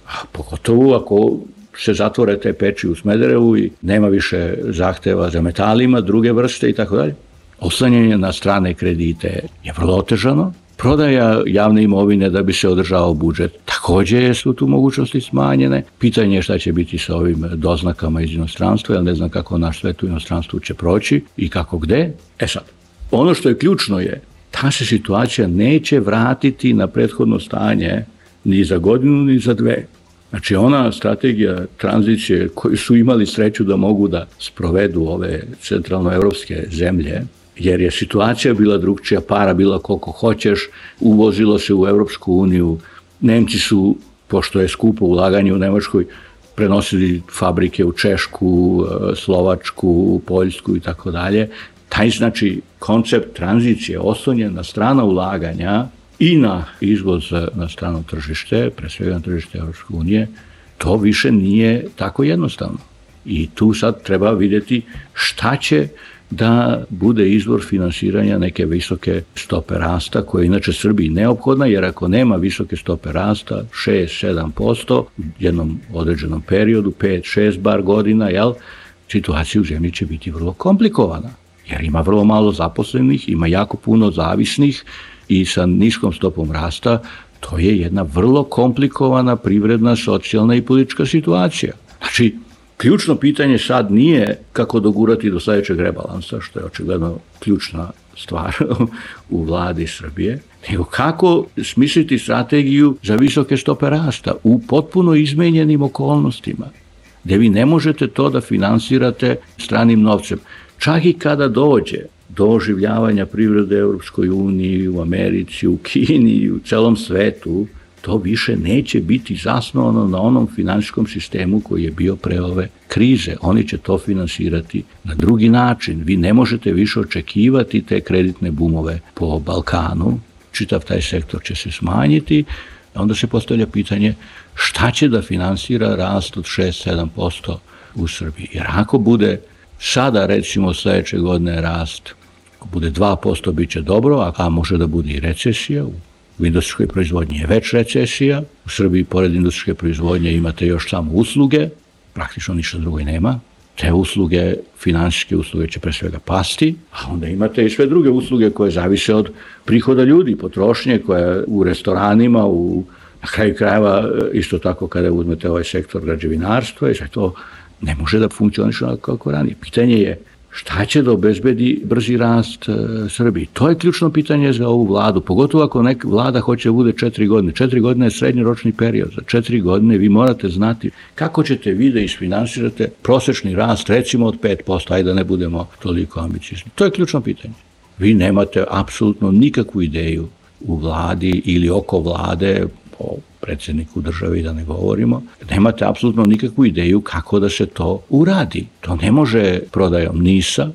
[SPEAKER 11] A pogotovo ako se zatvore te peći u Smederevu i nema više zahteva za metalima, druge vrste i tako dalje. Oslanjanje na strane kredite je vrlo otežano. Prodaja javne imovine da bi se održao budžet takođe su tu mogućnosti smanjene. Pitanje je šta će biti sa ovim doznakama iz inostranstva, ja ne znam kako naš svet u inostranstvu će proći i kako gde. Sad, ono što je ključno je, ta se situacija neće vratiti na prethodno stanje ni za godinu, ni za dve. Znači, ona strategija tranzicije koju su imali sreću da mogu da sprovedu ove centralnoevropske zemlje, jer je situacija bila drugčija, para bila koliko hoćeš, uvozilo se u Evropsku uniju, Nemci su, pošto je skupo ulaganje u Nemačkoj, prenosili fabrike u Češku, Slovačku, Poljsku i tako dalje. Taj, znači, koncept tranzicije oslonjen na strana ulaganja i na izvoz na strano tržište, pre svega na tržište Evropske unije, to više nije tako jednostavno. I tu sad treba vidjeti šta će da bude izvor finansiranja neke visoke stope rasta, koja je inače Srbiji neophodna, jer ako nema visoke stope rasta, 6-7% u jednom određenom periodu, 5-6 bar godina, situacija u zemlji će biti vrlo komplikovana, jer ima vrlo malo zaposlenih, ima jako puno zavisnih i sa niskom stopom rasta, to je jedna vrlo komplikovana privredna, socijalna i politička situacija. Znači, ključno pitanje sad nije kako dogurati do sledećeg rebalansa, što je očigledno ključna stvar u vladi Srbije, nego kako smisliti strategiju za visoke stope rasta u potpuno izmenjenim okolnostima, gde vi ne možete to da finansirate stranim novcem. Čak i kada dođe do oživljavanja privrede Evropskoj uniji, u Americi, u Kini, u celom svetu, to više neće biti zasnovano na onom finansijskom sistemu koji je bio pre ove krize. Oni će to finansirati na drugi način. Vi ne možete više očekivati te kreditne bumove po Balkanu. Čitav taj sektor će se smanjiti. Onda se postavlja pitanje šta će da finansira rast od 6-7% u Srbiji. Jer ako bude sada, recimo, sledeće godine rast, ako bude 2%, bit će dobro, a može da bude i recesija. U industrijskoj proizvodnji je već recesija, u Srbiji pored industrijske proizvodnje imate još samo usluge, praktično ništa drugo i nema. Te usluge, finansijske usluge će pre svega pasti, a onda imate i sve druge usluge koje zavise od prihoda ljudi, potrošnje koja u restoranima, na kraju krajeva isto tako kada uzmete ovaj sektor građevinarstva i sve to ne može da funkcioniše kako ranije. Pitanje je šta će da obezbedi brzi rast Srbiji? To je ključno pitanje za ovu vladu, pogotovo ako neka vlada hoće da bude 4 godine. 4 godine je srednjoročni period. Za 4 godine vi morate znati kako ćete vi da isfinansirate prosečni rast, recimo od 5%, ajde da ne budemo toliko ambiciozni. To je ključno pitanje. Vi nemate apsolutno nikakvu ideju u vladi ili oko vlade, o predsjedniku države i da ne govorimo, nemate apsolutno nikakvu ideju kako da se to uradi. To ne može prodajom NIS-a,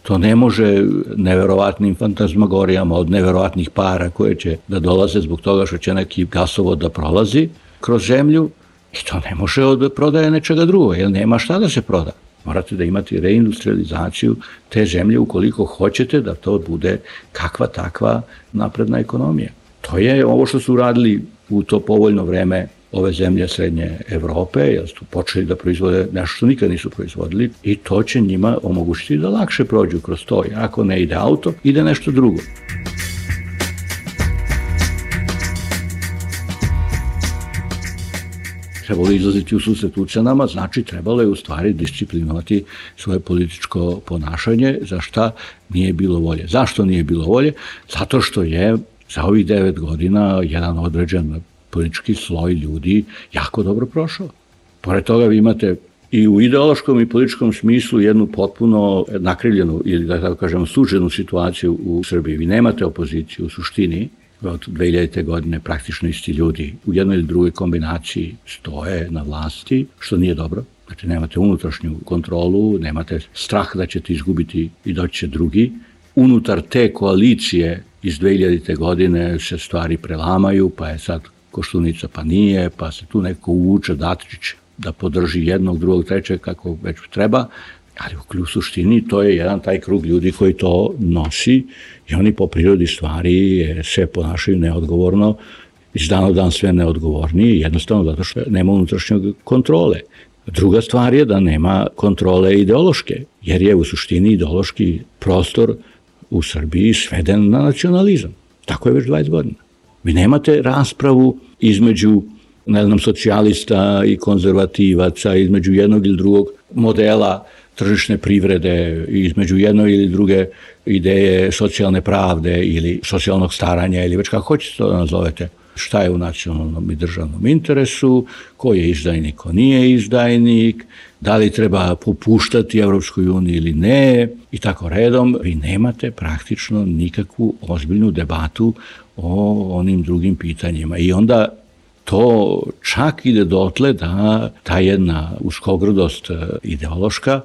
[SPEAKER 11] to ne može neverovatnim fantazmagorijama od neverovatnih para koje će da dolaze zbog toga što će neki gasovod da prolazi kroz zemlju i to ne može od prodaje nečega drugo, jer nema šta da se proda. Morate da imate reindustrializaciju te zemlje ukoliko hoćete da to bude kakva takva napredna ekonomija. To je ovo što su uradili u to povoljno vreme ove zemlje Srednje Evrope, jer su počeli da proizvode nešto što nikad nisu proizvodili i to će njima omogućiti da lakše prođu kroz to. Ako ne ide auto, ide nešto drugo. Trebalo je izlaziti u susret ucenama, znači trebalo je u stvari disciplinovati svoje političko ponašanje, za šta nije bilo volje. Zašto nije bilo volje? Zato što je za ovih 9 godina jedan određen politički sloj ljudi jako dobro prošao. Pored toga vi imate i u ideološkom i političkom smislu jednu potpuno nakrivljenu ili da tako kažemo suženu situaciju u Srbiji. Vi nemate opoziciju u suštini, od 2000. godine praktično isti ljudi u jednoj ili drugoj kombinaciji stoje na vlasti, što nije dobro. Znači, nemate unutrašnju kontrolu, nemate strah da ćete izgubiti i doći će drugi. Unutar te koalicije iz 2000. godine se stvari prelamaju, pa je sad Koštunica pa nije, pa se tu neko uvuče Dačić da podrži jednog, drugog, trećeg, kako već treba, ali u suštini to je jedan taj krug ljudi koji to nosi i oni po prirodi stvari se ponašaju neodgovorno, iz dana u dan sve neodgovorniji, jednostavno zato što nema unutrašnje kontrole. Druga stvar je da nema kontrole ideološke, jer je u suštini ideološki prostor u Srbiji sveden na nacionalizam. Tako je već 20 godina. Vi nemate raspravu između, ne znam, socijalista i konzervativaca, između jednog ili drugog modela tržišne privrede, između jedne ili druge ideje socijalne pravde ili socijalnog staranja ili već kako hoćete to da nazovete. Šta je u nacionalnom i državnom interesu, ko je izdajnik, ko nije izdajnik, da li treba popuštati Evropskoj uniji ili ne i tako redom. Vi nemate praktično nikakvu ozbiljnu debatu o onim drugim pitanjima i onda to čak ide dotle da ta jedna uskogrdost ideološka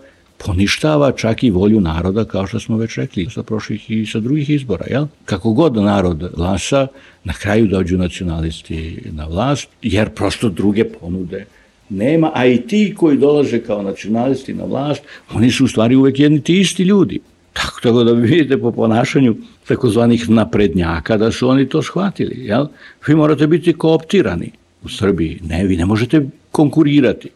[SPEAKER 11] poništava čak i volju naroda, kao što smo već rekli, sa prošlih i sa drugih izbora. Jel? Kako god narod glasa, na kraju dođu nacionalisti na vlast, jer prosto druge ponude nema, a i ti koji dolaze kao nacionalisti na vlast, oni su u stvari uvek jedni ti isti ljudi. Tako da vidite po ponašanju takozvanih naprednjaka da su oni to shvatili. Jel? Vi morate biti kooptirani u Srbiji. Ne, vi ne možete konkurirati.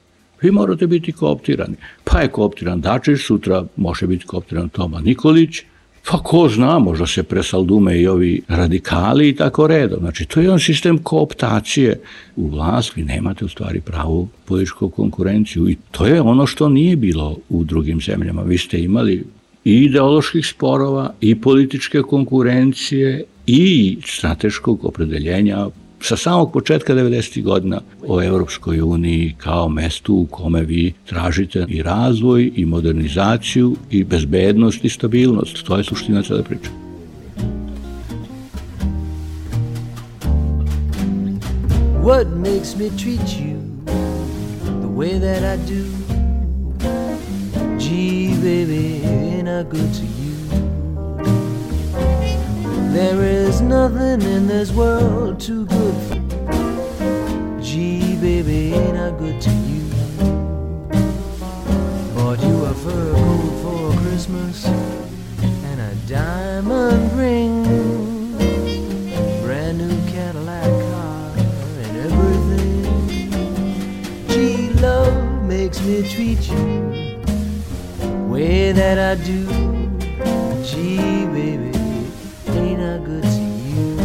[SPEAKER 11] Vi morate biti kooptirani. Pa je kooptiran Dačić, sutra može biti kooptiran Toma Nikolić, pa ko zna, možda se presaldume i ovi radikali i tako redom. Znači, to je jedan sistem kooptacije u vlast, vi nemate u stvari pravu političku konkurenciju i to je ono što nije bilo u drugim zemljama. Vi ste imali i ideoloških sporova, i političke konkurencije, i strateškog opredeljenja sa samog početka 90. godina o Evropskoj uniji kao mestu u kome vi tražite i razvoj, i modernizaciju, i bezbednost, i stabilnost. To je suština cele priče.
[SPEAKER 12] What makes me treat you the way that I do? Gee, baby, ain't I good to you? There is nothing in this world too good for you. Gee, baby, ain't I good to you? Bought you a fur coat for Christmas and a diamond ring, brand new Cadillac car and everything. Gee, love makes me treat you the way that I do. Gee, baby, ain't I good to you?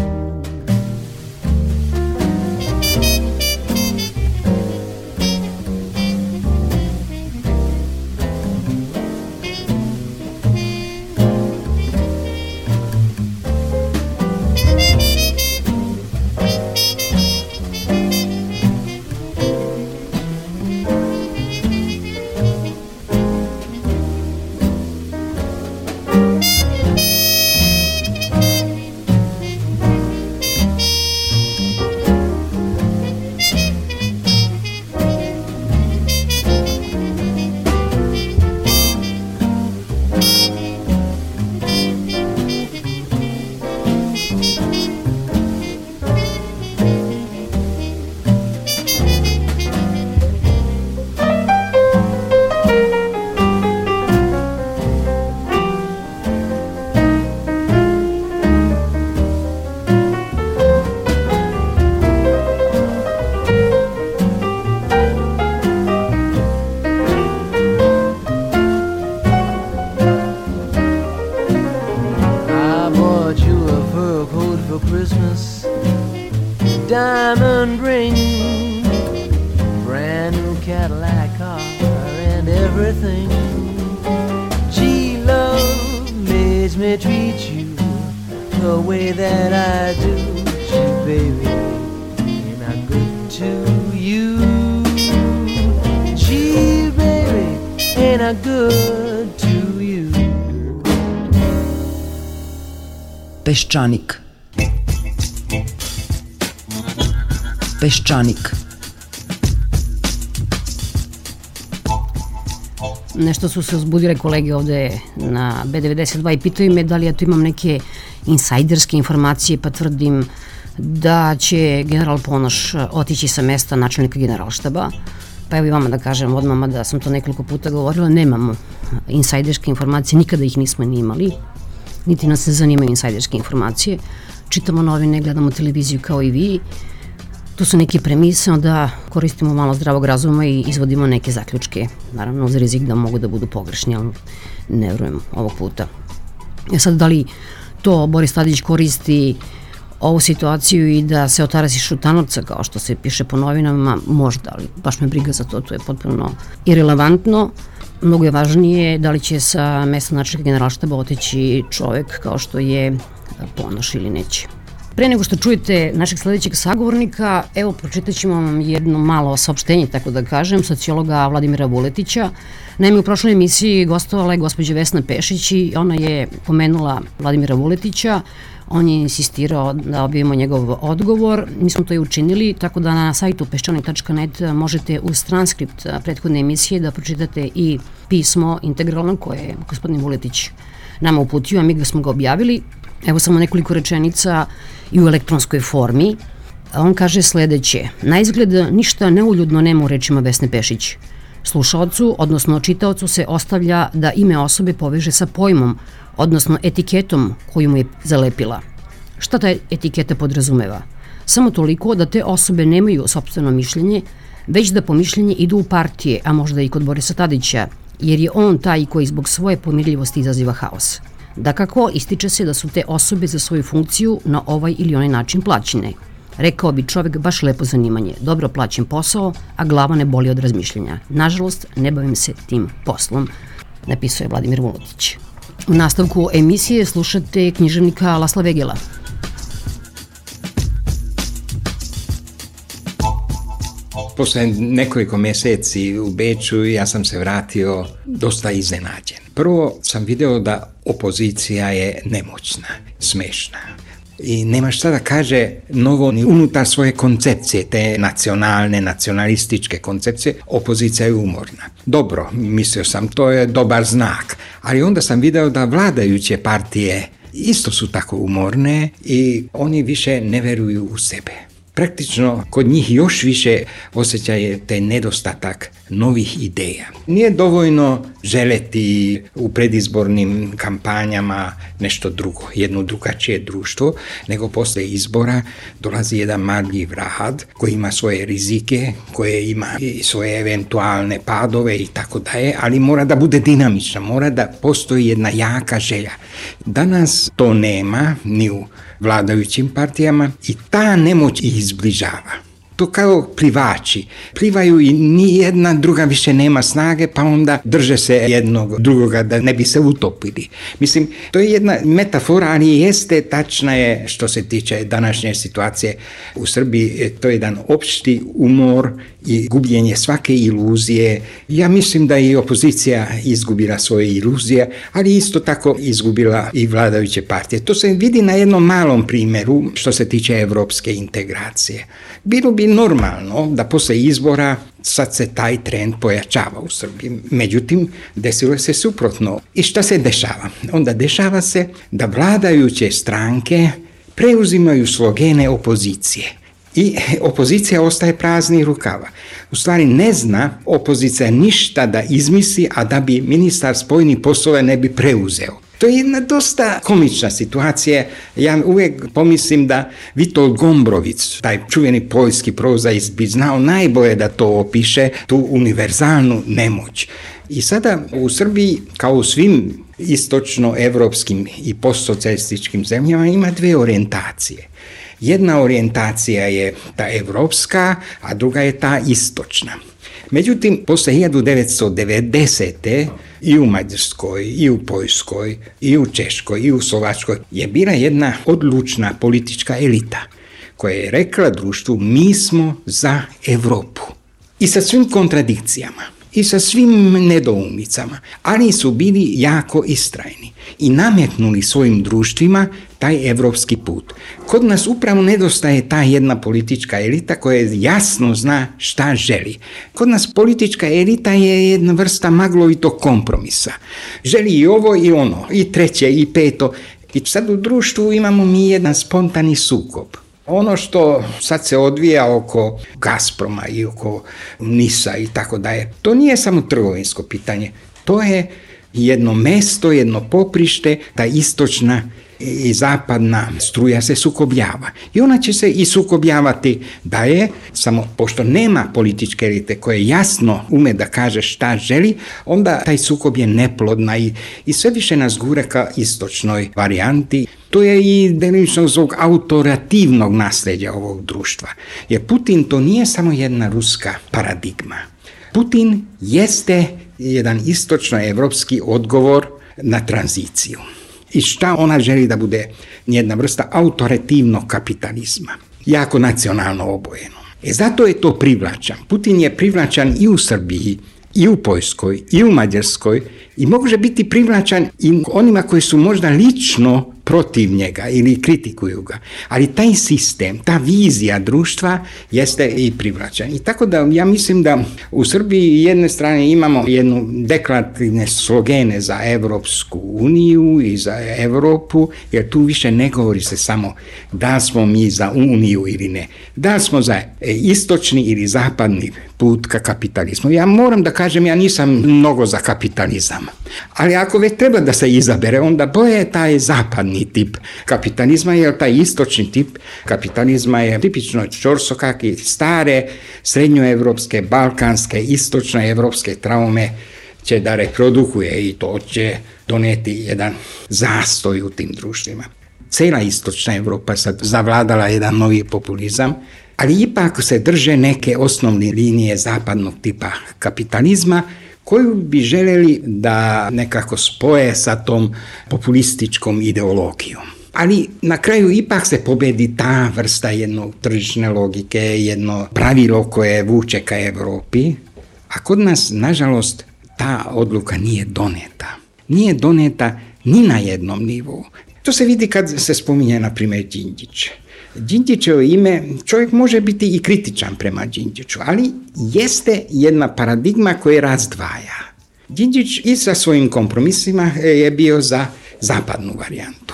[SPEAKER 12] Diamond ring, brand new Cadillac car and everything. Gee, love makes me treat you the way that I do. Gee, baby, ain't I good to you? Gee, baby, ain't I good to you?
[SPEAKER 13] Peščanik.
[SPEAKER 7] Peščanik.
[SPEAKER 8] Nešto su se uzbudile kolege ovde na B92 i pitaju me da li ja tu imam neke insajderske informacije, pa tvrdim da će general Ponoš otići sa mesta načelnika generalštaba. Pa evo i vama da kažem odmah, da sam to nekoliko puta govorila, nemamo insajderske informacije, nikada ih nismo ni imali, niti nas se zanimaju insajderske informacije. Čitamo novine, gledamo televiziju kao i vi. Tu su neke premise, onda koristimo malo zdravog razuma i izvodimo neke zaključke. Naravno, uz rizik da mogu da budu pogrešni, ali ne verujem ovog puta. Sad, da li to Boris Tadić koristi ovu situaciju i da se otarasi Šutanovca, kao što se piše po novinama, možda, ali baš me briga za to, to je potpuno irelevantno. Mnogo je važnije da li će sa mesta načelnika generalštaba otići čovek kao što je Ponoš ili neće. Pre nego što čujete našeg sledećeg sagovornika, evo pročitat ćemo vam jedno malo saopštenje, tako da kažem, sociologa Vladimira Vuletića. Naime, u prošloj emisiji gostovala je gospođa Vesna Pešić i ona je pomenula Vladimira Vuletića. On je insistirao da objavimo njegov odgovor. Mi smo to i učinili, tako da na sajtu peščanik.net možete uz transkript prethodne emisije da pročitate i pismo integralno koje je gospodin Vuletić nama uputio, a mi smo ga objavili. Evo samo nekoliko rečenica i u elektronskoj formi. On kaže sledeće: na izgled ništa neuljudno nema u rečima Vesne Pešić. Slušaocu, odnosno čitaocu se ostavlja da ime osobe poveže sa pojmom, odnosno etiketom koju mu je zalepila. Šta ta etiketa podrazumeva? Samo toliko da te osobe nemaju sopstveno mišljenje, već da po mišljenje idu u partije, a možda i kod Borisa Tadića, jer je on taj koji zbog svoje pomirljivosti izaziva haos. Dakako, ističe se da su te osobe za svoju funkciju na ovaj ili onaj način plaćene. Rekao bi čovek baš lepo zanimanje, dobro plaćen posao, a glava ne boli od razmišljenja. Nažalost, ne bavim se tim poslom, napisao je Vladimir Vuletić. U nastavku emisije slušate književnika Lasla Vegela.
[SPEAKER 13] Posle nekoliko meseci u Beču ja sam se vratio dosta iznenađen. Prvo sam video da opozicija je nemoćna, smešna. I nema šta da kaže novo ni unutar svoje koncepcije, te nacionalne, nacionalističke koncepcije, opozicija je umorna. Dobro, mislio sam, to je dobar znak, ali onda sam video da vladajuće partije isto su tako umorne i oni više ne veruju u sebe. Praktično, kod njih još više osjećaje taj nedostatak novih ideja. Nije dovoljno želeti u predizbornim kampanjama nešto drugo, jedno drugačije društvo, nego posle izbora dolazi jedan marljiv rad koji ima svoje rizike, koje ima i svoje eventualne padove i tako dalje, ali mora da bude dinamična, mora da postoji jedna jaka želja. Danas to nema ni u vladajućim partijama i ta nemoć ih izbližava. To kao plivači. Plivaju i nijedna druga više nema snage, pa onda drže se jednog drugoga da ne bi se utopili. Mislim, to je jedna metafora, ali jeste, tačna je što se tiče današnje situacije u Srbiji. To je jedan opšti umor i gubljenje svake iluzije. Ja mislim da i opozicija izgubila svoje iluzije, ali isto tako izgubila i vladajuće partije. To se vidi na jednom malom primjeru što se tiče evropske integracije. Bilo bi normalno da posle izbora sad se taj trend pojačava u Srbiji. Međutim, desilo se suprotno. I šta se dešava? Onda dešava se da vladajuće stranke preuzimaju slogene opozicije. I opozicija ostaje prazni rukava. U stvari ne zna opozicija ništa da izmisli, a da bi ministar spoljnih poslova ne bi preuzeo. To je jedna dosta komična situacija. Ja uvijek pomislim da Witold Gombrowicz, taj čuveni poljski prozaist, bi znao najbolje da to opiše, tu univerzalnu nemoć. I sada u Srbiji, kao u svim istočno-evropskim i postsocijalističkim zemljama, ima dve orijentacije. Jedna orijentacija je ta evropska, a druga je ta istočna. Međutim, posle 1990. i u Mađarskoj, i u Poljskoj, i u Češkoj, i u Slovačkoj je bila jedna odlučna politička elita koja je rekla društvu: mi smo za Evropu. I sa svim kontradikcijama, i sa svim nedoumicama, ali su bili jako istrajni i nametnuli svojim društvima taj evropski put. Kod nas upravo nedostaje ta jedna politička elita koja jasno zna šta želi. Kod nas politička elita je jedna vrsta maglovitog kompromisa. Želi i ovo i ono, i treće i peto. I sad u društvu imamo mi jedan spontani sukob. Ono što sad se odvija oko Gazproma i oko NIS-a i tako dalje, to nije samo trgovinsko pitanje, to je jedno mesto, jedno poprište, ta istočna i zapadna struja se sukobljava. I ona će se i sukobljavati dalje, samo pošto nema političke elite koje jasno ume da kaže šta želi, onda taj sukob je neplodna i sve više nas gura ka istočnoj varijanti. To je i delimično zbog autorativnog nasljeđa ovog društva. Jer Putin to nije samo jedna ruska paradigma. Putin jeste jedan istočno-evropski odgovor na tranziciju. I šta ona želi da bude jedna vrsta autoritativnog kapitalizma, jako nacionalno obojeno. Zato je to privlačan. Putin je privlačan i u Srbiji, i u Poljskoj, i u Mađarskoj i može biti privlačan i onima koji su možda lično protiv njega ili kritikuju ga. Ali taj sistem, ta vizija društva jeste i privlačan. I tako da ja mislim da u Srbiji jedne strane imamo jednu deklarativne slogene za Evropsku uniju i za Evropu, jer tu više ne govori se samo da smo mi za uniju ili ne. Da smo za istočni ili zapadni put ka kapitalizmu. Ja moram da kažem, ja nisam mnogo za kapitalizam. Ali ako već treba da se izabere, onda bolje taj zapadni tip kapitalizma, jer taj istočni tip kapitalizma je tipično čorsokaki, stare, srednjoevropske, balkanske, istočnoevropske traume će da reprodukuje i to će doneti jedan zastoj u tim društvima. Cela istočna Evropa sad zavladala jedan novi populizam, ali ipak se drže neke osnovne linije zapadnog tipa kapitalizma koju bi želeli da nekako spoje sa tom populističkom ideologijom. Ali na kraju ipak se pobedi ta vrsta jednog tržišne logike, jedno pravilo koje vuče ka Evropi, a kod nas, nažalost, ta odluka nije doneta. Nije doneta ni na jednom nivou. To se vidi kad se spominje, na primjer, Đinđić. Đinđićevo ime, čovjek može biti i kritičan prema Đinđiću, ali jeste jedna paradigma koja razdvaja. Đinđić i sa svojim kompromisima je bio za zapadnu varijantu.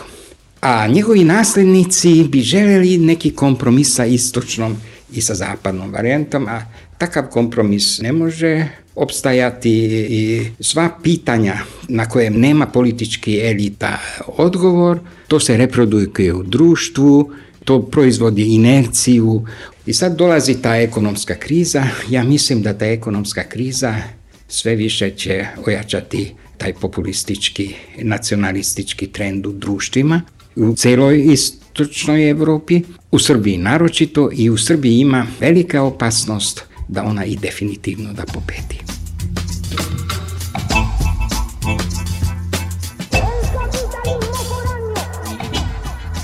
[SPEAKER 13] A njegovi nasljednici bi željeli neki kompromis sa istočnom i sa zapadnom varijantom, a takav kompromis ne može opstajati i sva pitanja na koje nema politički elita odgovor, to se reprodukuje u društvu, to proizvodi inerciju i sad dolazi ta ekonomska kriza. Ja mislim da ta ekonomska kriza sve više će ojačati taj populistički, nacionalistički trend u društvima, u celoj istočnoj Evropi, u Srbiji naročito, i u Srbiji ima velika opasnost da ona i definitivno da pobedi.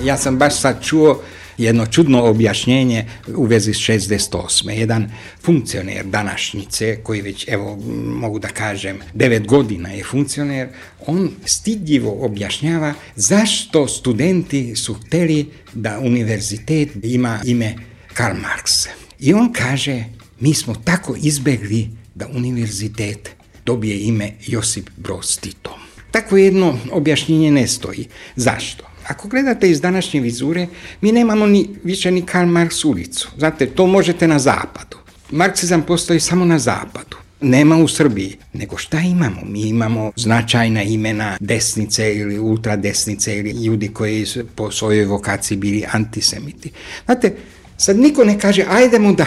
[SPEAKER 13] Ja sam baš sad čuo jedno čudno objašnjenje u vezi s 68. Jedan funkcioner današnjice, koji već, evo, mogu da kažem, 9 godina je funkcioner, on stidljivo objašnjava zašto studenti su hteli da univerzitet ima ime Karl Marx. I on kaže, mi smo tako izbegli da univerzitet dobije ime Josip Broz Tito. Takvo jedno objašnjenje ne stoji. Zašto? Ako gledate iz današnje vizure, mi nemamo više ni Karl Marx ulicu. Znate, to možete na zapadu. Marksizam postoji samo na zapadu. Nema u Srbiji. Nego šta imamo? Mi imamo značajna imena desnice ili ultradesnice ili ljudi koji su po svojoj vokaciji bili antisemiti. Znate, sad niko ne kaže, ajdemo da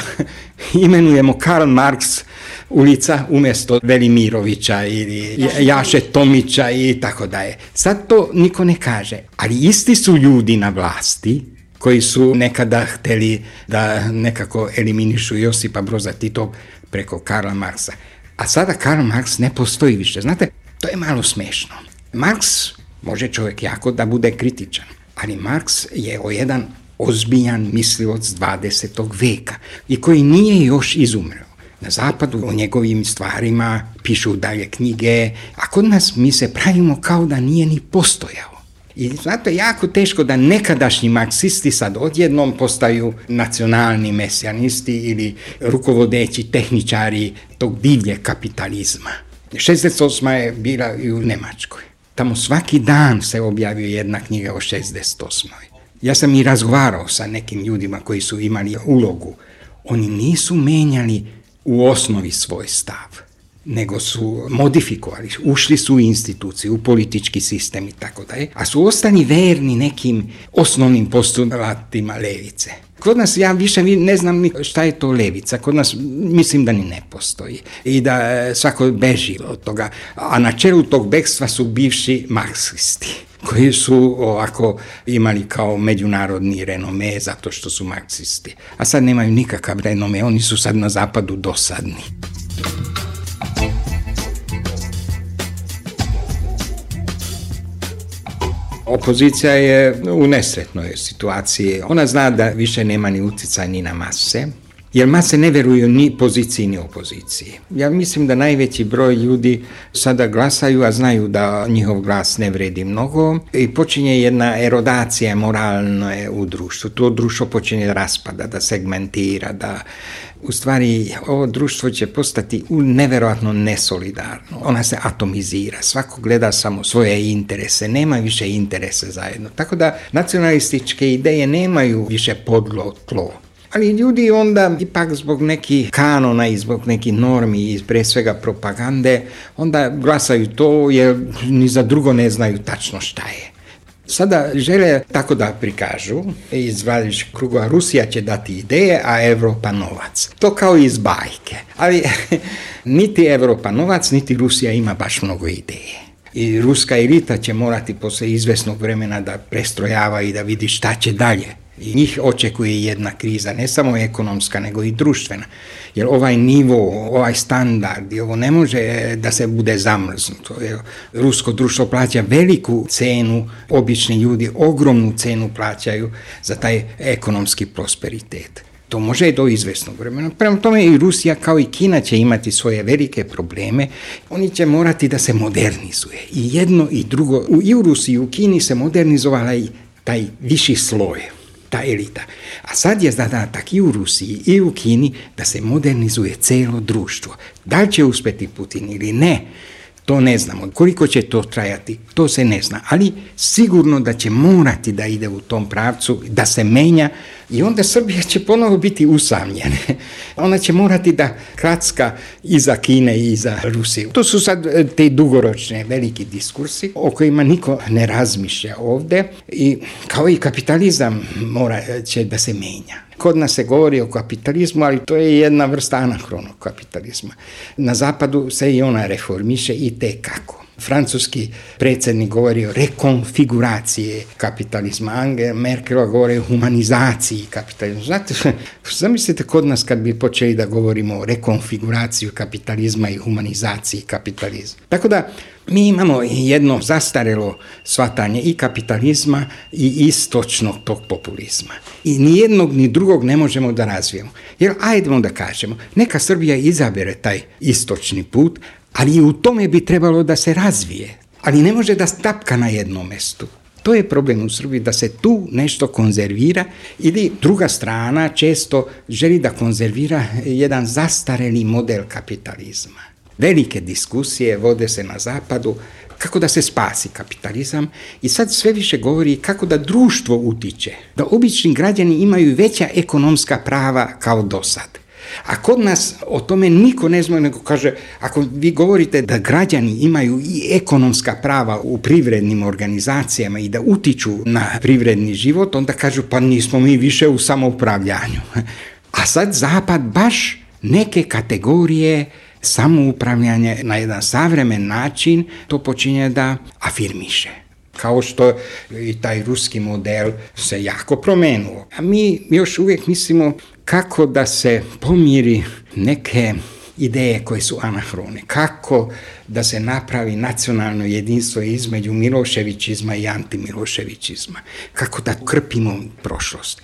[SPEAKER 13] imenujemo Karl Marx ulica umjesto Velimirovića ili Jaše Tomića i tako dalje. Sad to niko ne kaže, ali isti su ljudi na vlasti koji su nekada hteli da nekako eliminišu Josipa Broza Tito preko Karla Marksa. A sada Karl Marx ne postoji više. Znate, to je malo smešno. Marx može čovjek jako da bude kritičan, ali Marx je jedan ozbiljan mislilac 20. veka i koji nije još izumreo. Na zapadu o njegovim stvarima pišu dalje knjige, a kod nas mi se pravimo kao da nije ni postojao. I zato je jako teško da nekadašnji marksisti sad odjednom postaju nacionalni mesijanisti ili rukovodeći tehničari tog divljeg kapitalizma. 68. je bila i u Nemačkoj. Tamo svaki dan se objavio jedna knjiga o 68. Ja sam i razgovarao sa nekim ljudima koji su imali ulogu. Oni nisu menjali u osnovi svoj stav, nego su modifikovali, ušli su u instituciju, u politički sistem i tako dalje, a su ostali verni nekim osnovnim postulatima levice. Kod nas ja više ne znam ni šta je to levica, kod nas mislim da ni ne postoji i da svako beži od toga, a na čelu tog bekstva su bivši marksisti koji su ovako imali kao međunarodni renome zato što su marksisti, a sad nemaju nikakav renome, oni su sad na zapadu dosadni. Opozicija je u nesretnoj situaciji. Ona zna da više nema ni utjecaj ni na mase, jer mase ne veruju ni poziciji ni opoziciji. Ja mislim da najveći broj ljudi sada glasaju, a znaju da njihov glas ne vredi mnogo i počinje jedna erodacija moralna u društvu. To društvo počinje da raspada, da segmentira, da u stvari ovo društvo će postati neverovatno nesolidarno. Ona se atomizira, svako gleda samo svoje interese, nema više interese zajedno. Tako da nacionalističke ideje nemaju više podlo tlo. Ali ljudi onda ipak zbog nekih kanona i zbog nekih normi i pre svega propagande onda glasaju to jer ni za drugo ne znaju tačno šta je. Sada žele tako da prikažu iz vladajućih krugova, Rusija će dati ideje, a Evropa novac. To kao iz bajke. Ali niti Evropa novac, niti Rusija ima baš mnogo ideje. I ruska elita će morati posle izvesnog vremena da prestrojava i da vidi šta će dalje. I njih očekuje jedna kriza, ne samo ekonomska, nego i društvena. Jer ovaj nivo, ovaj standard, ovo ne može da se bude zamrznuto. Jer rusko društvo plaća veliku cenu, obični ljudi ogromnu cenu plaćaju za taj ekonomski prosperitet. To može do izvesnog vremena. Prema tome i Rusija kao i Kina će imati svoje velike probleme. Oni će morati da se modernizuje. I jedno i drugo. I u Rusiji i u Kini se modernizovala i taj viši sloj, ta elita. A sad je zadatak i u Rusiji i u Kini da se modernizuje celo društvo. Da li će uspeti Putin ili ne, to ne znamo. Koliko će to trajati, to se ne zna. Ali sigurno da će morati da ide u tom pravcu, da se menja i onda Srbija će ponovo biti usamljena. Ona će morati da kracka iza Kine i iza Rusije. To su sad te dugoročne veliki diskursi o kojima niko ne razmišlja ovde i kao i kapitalizam mora će da se menja. Kod nas se govori o kapitalizmu, ali to je jedna vrsta anahronog kapitalizma. Na zapadu se i ona reformiše i tekako. Francuski predsjednik govori o rekonfiguraciji kapitalizma, Angela Merkel govori o humanizaciji kapitalizma. Znate, zamislite kod nas kad bi počeli da govorimo o rekonfiguraciji kapitalizma i humanizaciji kapitalizma. Tako da mi imamo jedno zastarelo shvatanje i kapitalizma i istočnog tog populizma. I ni jednog ni drugog ne možemo da razvijemo. Jer ajdemo da kažemo, neka Srbija izabere taj istočni put, ali i u tome bi trebalo da se razvije. Ali ne može da stapka na jednom mestu. To je problem u Srbiji, da se tu nešto konzervira ili druga strana često želi da konzervira jedan zastareli model kapitalizma. Velike diskusije vode se na zapadu kako da se spasi kapitalizam i sad sve više govori kako da društvo utiče, da obični građani imaju veća ekonomska prava kao do sad. A kod nas o tome niko ne zna, nego kaže, ako vi govorite da građani imaju i ekonomska prava u privrednim organizacijama i da utiču na privredni život, onda kažu pa nismo mi više u samoupravljanju. A sad Zapad baš neke kategorije samoupravljanja na jedan savremen način to počinje da afirmiše. Kao što i taj ruski model se jako promenuo. A mi još uvijek mislimo kako da se pomiri neke ideje koje su anahrone, kako da se napravi nacionalno jedinstvo između miloševićizma i antimiloševićizma, kako da krpimo prošlost.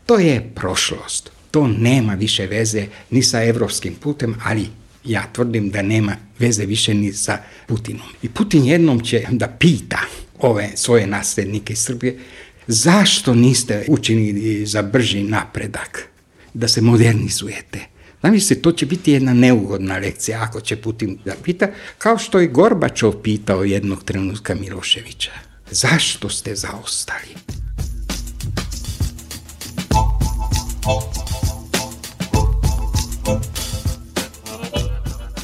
[SPEAKER 13] To je prošlost, to nema više veze ni sa evropskim putem, ali ja tvrdim da nema veze više ni sa Putinom. I Putin jednom će da pita ove svoje nasljednike iz Srbije, zašto niste učinili za brži napredak, da se modernizujete? Zamislite, to će biti jedna neugodna lekcija ako će Putin da pita, kao što je Gorbačov pitao jednog trenutka Miloševića. Zašto ste zaostali?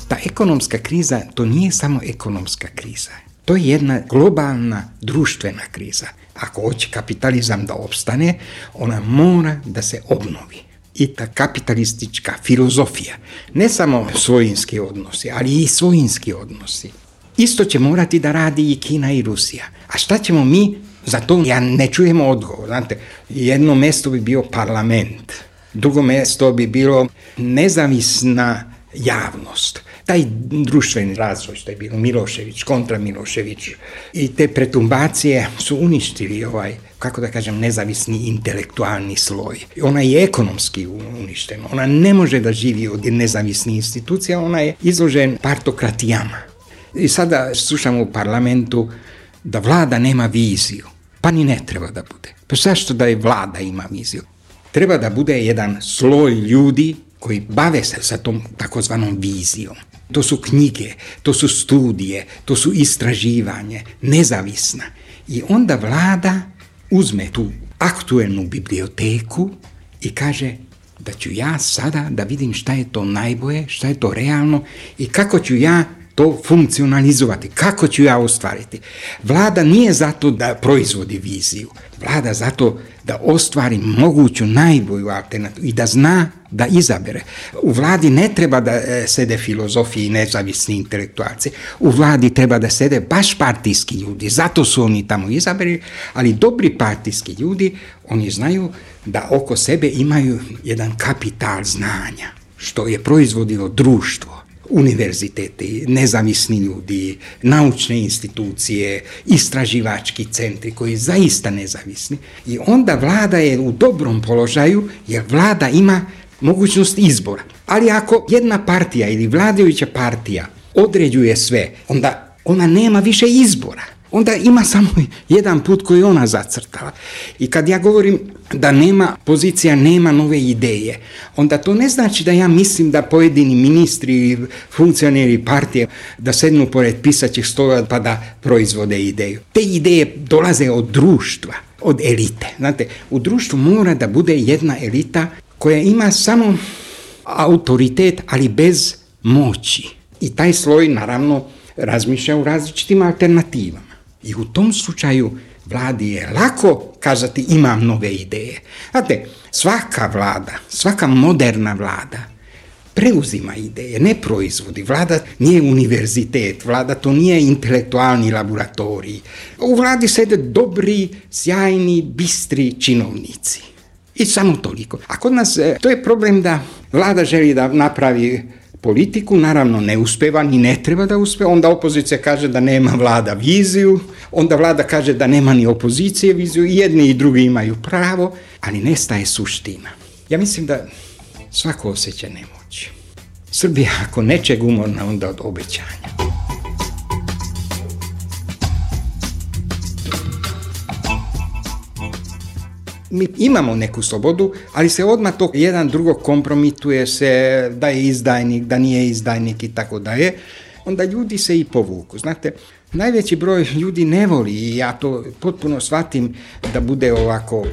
[SPEAKER 13] Ta ekonomska kriza, to nije samo ekonomska kriza. To je jedna globalna društvena kriza. Ako hoće kapitalizam da opstane, ona mora da se obnovi. I ta kapitalistička filozofija, ne samo svojinski odnosi, ali i svojinski odnosi. Isto će morati da radi i Kina i Rusija. A šta ćemo mi? Za to ja ne čujemo odgovor. Znate, jedno mesto bi bio parlament, drugo mesto bi bilo nezavisna javnost. Taj društveni razvoj što je bilo Milošević, kontra Milošević i te pretumbacije su uništili kako da kažem, nezavisni intelektualni sloj. Ona je ekonomski uništena. Ona ne može da živi od nezavisnih institucija, ona je izložen partokratijama. I sada slušamo u parlamentu da vlada nema viziju. Pa ni ne treba da bude. Pa zašto da je vlada ima viziju? Treba da bude jedan sloj ljudi koji bave se sa tom takozvanom vizijom. To su knjige, to su studije, to su istraživanje, nezavisna. I onda vlada uzme tu aktuelnu biblioteku i kaže da ću ja sada da vidim šta je to najbolje, šta je to realno i kako ću ja to funkcionalizovati, kako ću ja ostvariti. Vlada nije zato da proizvodi viziju, vlada zato da ostvari moguću najbolju alternativu i da zna da izabere. U vladi ne treba da sede filozofi i nezavisni intelektualci, u vladi treba da sede baš partijski ljudi, zato su oni tamo izabrali, ali dobri partijski ljudi, oni znaju da oko sebe imaju jedan kapital znanja, što je proizvodilo društvo. Univerziteti, nezavisni ljudi, naučne institucije, istraživački centri koji zaista nezavisni. I onda vlada je u dobrom položaju jer vlada ima mogućnost izbora. Ali ako jedna partija ili vladajuća partija određuje sve, onda ona nema više izbora. Onda ima samo jedan put koji ona zacrtala. I kad ja govorim da nema pozicija, nema nove ideje, onda to ne znači da ja mislim da pojedini ministri ili funkcioneri partije da sednu pored pisaćih stola pa da proizvode ideju. Te ideje dolaze od društva, od elite. Znate, u društvu mora da bude jedna elita koja ima samo autoritet, ali bez moći. I taj sloj, naravno, razmišlja u različitim alternativama. I u tom slučaju vladi je lako kazati imam nove ideje. Znate, svaka vlada, svaka moderna vlada preuzima ideje, ne proizvodi. Vlada nije univerzitet, vlada to nije intelektualni laboratorij. U vladi sede dobri, sjajni, bistri činovnici. I samo toliko. A kod nas to je problem da vlada želi da napravi politiku, naravno ne uspeva ni ne treba da uspeva, onda opozicija kaže da nema vlada viziju, onda vlada kaže da nema ni opozicije viziju, i jedni i drugi imaju pravo, ali nestaje suština. Ja mislim da svako osjeća nemoć. Srbija ako nečeg umorna, onda od obećanja. Mi imamo neku slobodu, ali se odmah to jedan drugog kompromituje se da je izdajnik, da nije izdajnik i tako dalje. Onda ljudi se i povuku. Znate, najveći broj ljudi ne voli i ja to potpuno shvatim da bude ovako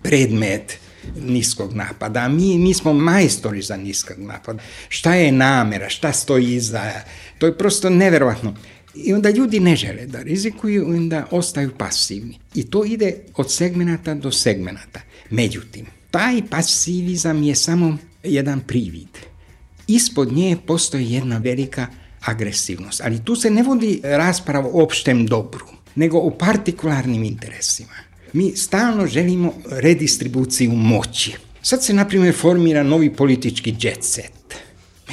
[SPEAKER 13] predmet niskog napada. Mi smo majstori za niskog napada. Šta je namera, šta stoji iza, to je prosto neverovatno. I onda ljudi ne žele da rizikuju, onda ostaju pasivni. I to ide od segmenata do segmenata. Međutim, taj pasivizam je samo jedan privid. Ispod nje postoji jedna velika agresivnost. Ali tu se ne vodi rasprava o opštem dobru, nego o partikularnim interesima. Mi stalno želimo redistribuciju moći. Sad se, na primjer, formira novi politički jet set.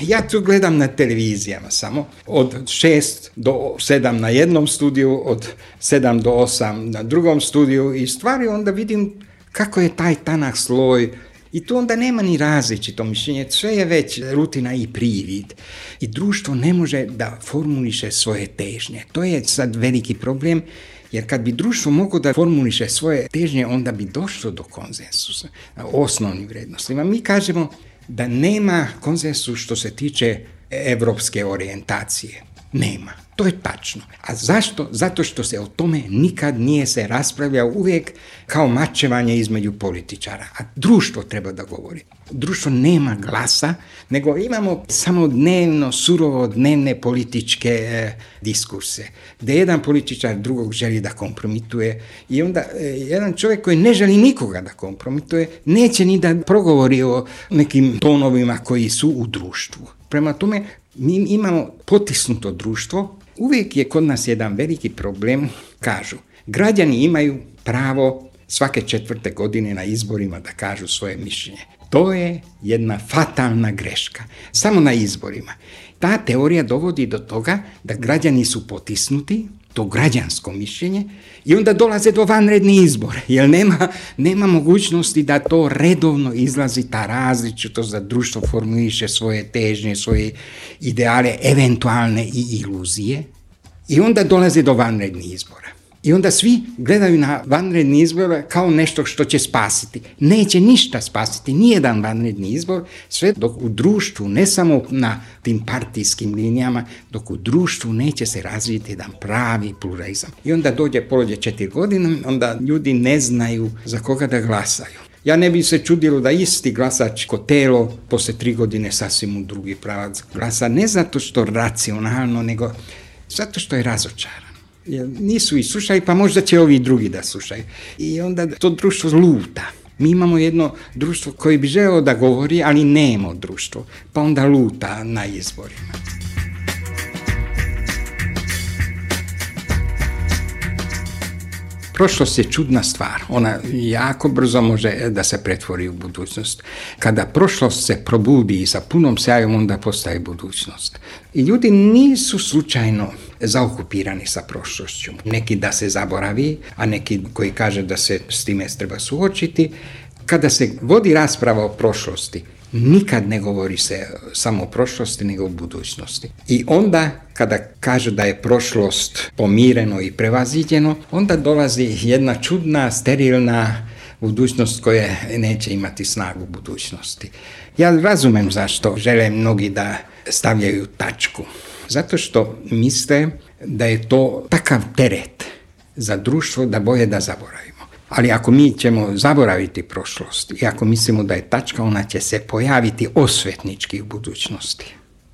[SPEAKER 13] Ja tu gledam na televizijama samo, od 6 do 7 na jednom studiju, od 7 do 8 na drugom studiju i stvari onda vidim kako je taj tanak sloj i tu onda nema ni različito mišljenje, sve je već rutina i privid. I društvo ne može da formuliše svoje težnje. To je sad veliki problem Jer kad bi društvo moglo da formuliše svoje težnje, onda bi došlo do konsensusa o osnovnim vrednostima. Mi kažemo da nema konsensusa što se tiče evropske orijentacije. Nema. To je tačno. A zašto? Zato što se o tome nikad nije se raspravljao, uvijek kao mačevanje između političara. A društvo treba da govori. Društvo nema glasa, nego imamo samo surovo dnevne političke diskurse, gdje jedan političar drugog želi da kompromituje i onda jedan čovjek koji ne želi nikoga da kompromituje, neće ni da progovori o nekim tonovima koji su u društvu. Prema tome, mi imamo potisnuto društvo. Uvijek je kod nas jedan veliki problem, kažu, građani imaju pravo svake 4. godine na izborima da kažu svoje mišljenje. To je jedna fatalna greška. Samo na izborima. Ta teorija dovodi do toga da građani su potisnuti, to građansko mišljenje, i onda dolaze do vanrednih izbora, jer nema mogućnosti da to redovno izlazi, ta različitost, da društvo formuliše svoje težnje, svoje ideale, eventualne i iluzije, i onda dolaze do vanrednih izbora. I onda svi gledaju na vanredni izbor kao nešto što će spasiti. Neće ništa spasiti, nijedan vanredni izbor, sve dok u društvu, ne samo na tim partijskim linijama, dok u društvu neće se razviti jedan pravi pluralizam. I onda prođe 4 godine, onda ljudi ne znaju za koga da glasaju. Ja ne bi se čudilo da isti glasačko telo poslije 3 godine sasvim u drugi pravac glasa, ne zato što racionalno, nego zato što je razočaran. Jer nisu i slušali, pa možda će ovi drugi da slušaju. I onda to društvo luta. Mi imamo jedno društvo koje bi želeo da govori, ali nema društvo, pa onda luta na izborima. Prošlost je čudna stvar, ona jako brzo može da se pretvori u budućnost. Kada prošlost se probudi i sa punom sjajom, onda postaje budućnost. I ljudi nisu slučajno zaokupirani sa prošlošću. Neki da se zaboravi, a neki koji kaže da se s time treba suočiti. Kada se vodi rasprava o prošlosti, nikad ne govori se samo o prošlosti, nego o budućnosti. I onda, kada kaže da je prošlost pomireno i prevaziđeno, onda dolazi jedna čudna, sterilna budućnost koja neće imati snagu budućnosti. Ja razumem zašto žele mnogi da stavljaju tačku. Zato što misle da je to takav teret za društvo da bolje da zaboravimo. Ali ako mi ćemo zaboraviti prošlost i ako mislimo da je tačka, ona će se pojaviti osvetnički u budućnosti.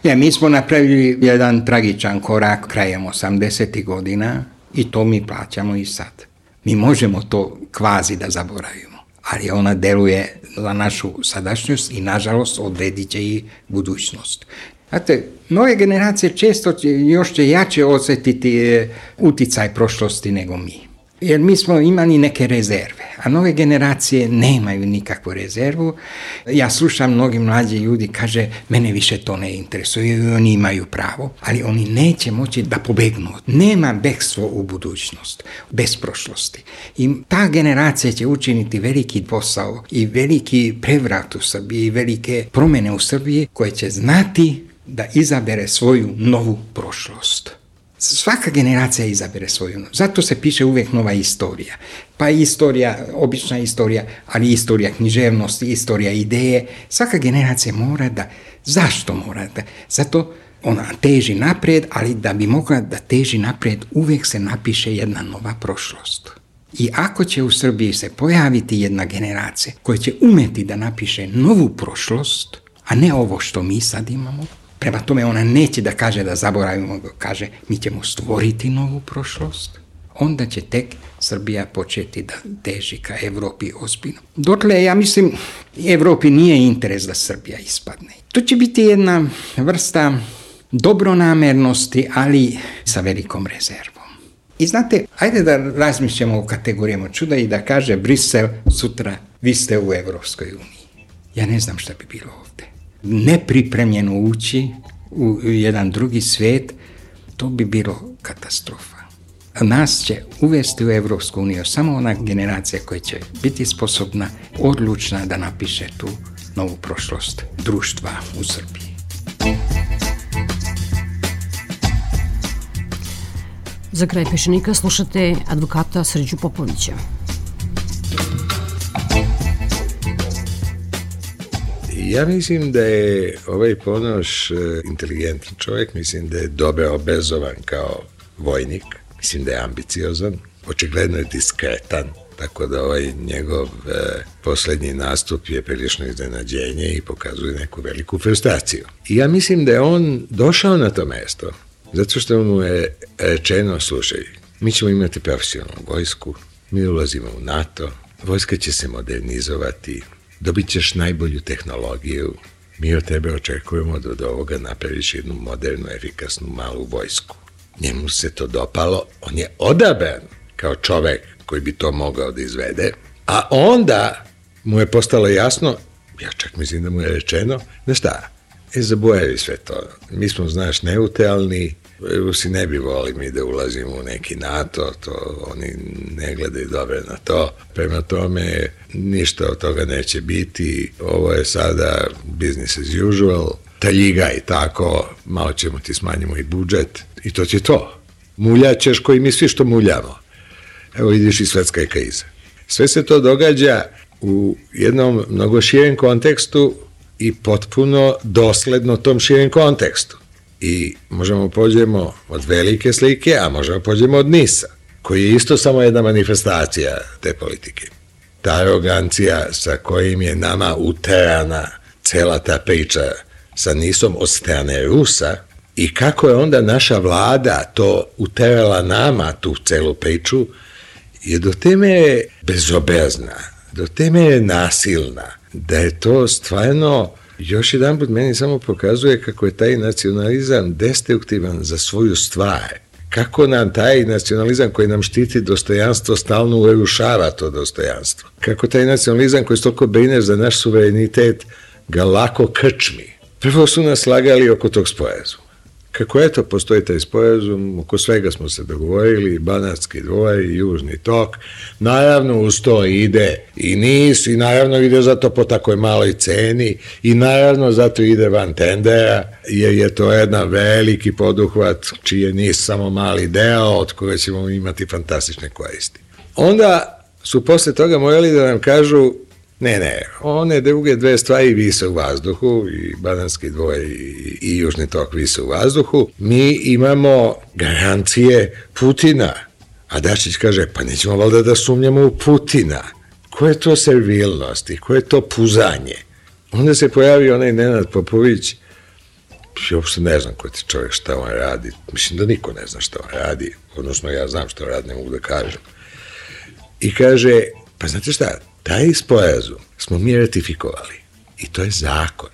[SPEAKER 13] Mi smo napravili jedan tragičan korak krajem 80. godina i to mi plaćamo i sad. Mi možemo to kvazi da zaboravimo, ali ona deluje za našu sadašnjost i nažalost odredit će i budućnost. Znate, nove generacije često još će jače osjetiti uticaj prošlosti nego mi. Jer mi smo imali neke rezerve, a nove generacije nemaju nikakvu rezervu. Ja slušam mnogi mlađi ljudi, kaže, mene više to ne interesuje, i oni imaju pravo, ali oni neće moći da pobegnu. Nema bekstvo u budućnost, bez prošlosti. I ta generacija će učiniti veliki posao i veliki prevrat u Srbiji, i velike promjene u Srbiji, koje će znati da izabere svoju novu prošlost. Svaka generacija izabere svoju. Zato se piše uvijek nova istorija. Pa istorija, obična istorija, ali istorija književnosti, istorija ideje. Svaka generacija mora da... Zašto mora da? Zato ona teži naprijed, ali da bi mogla da teži naprijed, uvijek se napiše jedna nova prošlost. I ako će u Srbiji se pojaviti jedna generacija koja će umeti da napiše novu prošlost, a ne ovo što mi sad imamo, prema tome ona neće da kaže da zaboravimo, kaže mi ćemo stvoriti novu prošlost, onda će tek Srbija početi da teži ka Evropi ozbiljno. Dotle, ja mislim, Evropi nije interes da Srbija ispadne. To će biti jedna vrsta dobronamernosti, ali sa velikom rezervom. I znate, ajde da razmišljamo o kategorijama čuda i da kaže Brisel sutra, vi ste u Evropskoj uniji. Ja ne znam šta bi bilo ovdje. Nepripremljeno ući u jedan drugi svijet, to bi bilo katastrofa. Nas će uvesti u Evropsku uniju samo ona generacija koja će biti sposobna, odlučna da napiše tu novu prošlost društva u Srbiji.
[SPEAKER 8] Za kraj Peščanika slušate advokata Srđu Popovića.
[SPEAKER 14] Ja mislim da je ovaj Ponoš inteligentan čovjek, mislim da je dobro obrazovan kao vojnik, mislim da je ambiciozan, očigledno je diskretan, tako da ovaj njegov poslednji nastup je prilično iznenađenje i pokazuje neku veliku frustraciju. I ja mislim da je on došao na to mesto zato što mu je rečeno, slušaj, mi ćemo imati profesionalnu vojsku, mi ulazimo u NATO, vojska će se modernizovati, dobit ćeš najbolju tehnologiju, mi od tebe očekujemo da od ovoga napraviš jednu modernu, efikasnu, malu vojsku. Njemu se to dopalo, on je odabran kao čovek koji bi to mogao da izvede, a onda mu je postalo jasno, ja čak mislim da mu je rečeno, znaš šta, zaboravi sve to, mi smo, znaš, neutralni, Rusi ne bi volili mi da ulazimo u neki NATO, to oni ne gledaju dobro na to, prema tome ništa od toga neće biti, ovo je sada business as usual, taljiga i tako, malo ćemo ti smanjimo i budžet i to će to. Muljaćeš koji mi svi što muljamo. Evo vidiš i svetska je kriza. Sve se to događa u jednom mnogo širem kontekstu i potpuno dosledno tom širem kontekstu. I možemo pođemo od velike slike, a možemo pođemo od NIS-a, koji je isto samo jedna manifestacija te politike. Ta arogancija sa kojim je nama uterana cela ta priča sa NIS-om od strane Rusa i kako je onda naša vlada to uterala nama, tu celu priču, je do te mere bezobrazna, do te mere nasilna, da je to stvarno još jedan put meni samo pokazuje kako je taj nacionalizam destruktivan za svoju stvar. Kako nam taj nacionalizam koji nam štiti dostojanstvo stalno urušava to dostojanstvo. Kako taj nacionalizam koji toliko brine za naš suverenitet ga lako krčmi. Prvo su nas slagali oko tog sporazuma. Kako eto postoji taj sporazum, oko svega smo se dogovorili, Banatski dvor i Južni tok, naravno uz to ide i NIS i naravno ide zato po takoj maloj ceni i naravno zato ide van tendera, jer je to jedan veliki poduhvat čiji je NIS samo mali deo od koga ćemo imati fantastične koristi. Onda su posle toga morali da nam kažu ne, one druge dve stvari vise u vazduhu, i Banatski dvor i Južni tok vise u vazduhu. Mi imamo garancije Putina. A Dačić kaže, pa nećemo valjda da sumnjamo u Putina. Ko je to servilnost i ko je to puzanje? Onda se pojavi onaj Nenad Popović, ja uopšte ne znam ko je ti čovjek, šta on radi. Mislim da niko ne zna šta on radi, odnosno ja znam šta on radi, ne mogu da kažem. I kaže, pa znate šta, taj sporazum smo mi ratifikovali i to je zakon.